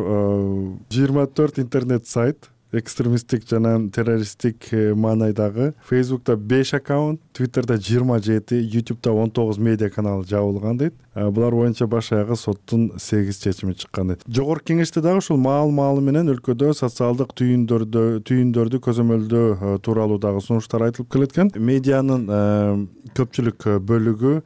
Speaker 26: жыйырма төрт интернет сайт, экстремисттик жана террористтик маанайдагы, Facebook'та беш аккаунт, Twitter'да жыйырма жети, YouTube'да он тогуз медиа канал жабылган дейт. Булар боюнча баш аягы соттун сегиз чечими чыккан дейт. Жогорку кеңеште дагы ушул маал-маалы менен өлкөдө социалдык түйүндөрдү түйүндөрдү көзөмөлдөө тууралуу дагы сунуштар айтылып келеткен. Медианын көпчүлүк бөлүгү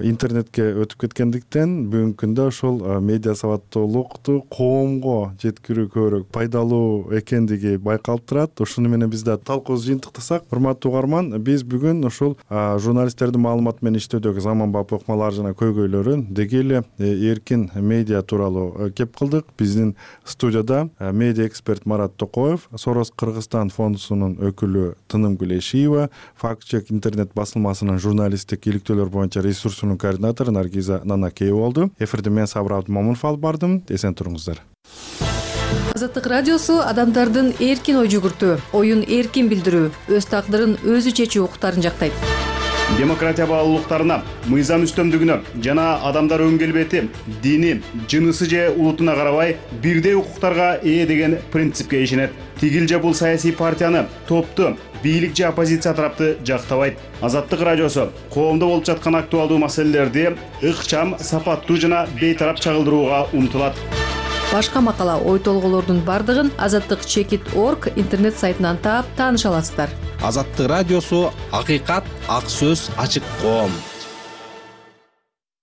Speaker 26: интернетке өтүп кеткендиктен бүгүнкү күндө ошол медиа сабаттуулукту коомго жеткирүү көбүрөөк пайдалуу экендиги байкалып турат. Ушуну менен биз да талкуубузду жыйынтыктасак, урматтуу угарман, биз бүгүн ушул журналисттердин маалымат менен иштөөдөгү заманбап ыкмалар жана көйгөйлөрүн деги эле эркин медиа тууралуу кеп кылдык. Биздин студияда медиа эксперт Марат Токоев, Сорос Кыргызстан фондунун өкүлү Тынымгүл Эшиева, Факт чек интернет басылмасынын журналисттик иликтөөлөр боюнча ресурсунун координатору Наргиза Нанакеева болду. Эфирде мен Сабыр Абдымомунов алып бардым. Эсен туруңуздар.
Speaker 12: Азаттык радиосу адамдардын эркин ой жүгүртүү, оюн эркин билдирүү, өз тагдырын өзү чечүү укуктарын жактайт.
Speaker 5: Демократия баалуулуктарына, мыйзам үстөмдүгүнө жана адамдар өн келбети, дини, жынысы же улутуна карабай бирдей укуктарга ээ деген принципке ишенет. Тигил же бул саясий партияны, топту, бийлик же оппозиция тарапты жактабайт. Азаттык радиосу коомдо болуп жаткан актуалдуу маселелерди ыкчам, сапаттуу жана бейтарап чагылдырууга умтулат.
Speaker 12: Башка макала, ой толголордун бардыгын азаттык чекит орг интернет сайтынан таап тааныша аласыздар.
Speaker 14: Азаттык радиосу акыйкат, ак сөз, ачык коом.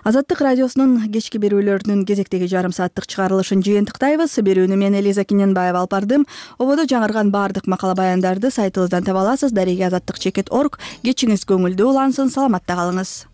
Speaker 1: Азаттык радиосунун кечки берүүлөрүнүн кезектеги жарым сааттык чыгарылышын жыйынтыктайбыз. Берүүнү мен Элиза Киненбаева алып бардым. Ободо жаңырган баардык макала баяндарды сайтыбыздан таба аласыз. Дареги азаттык чекит орг. Кечиңиз көңүлдүү улансын, саламатта калыңыз.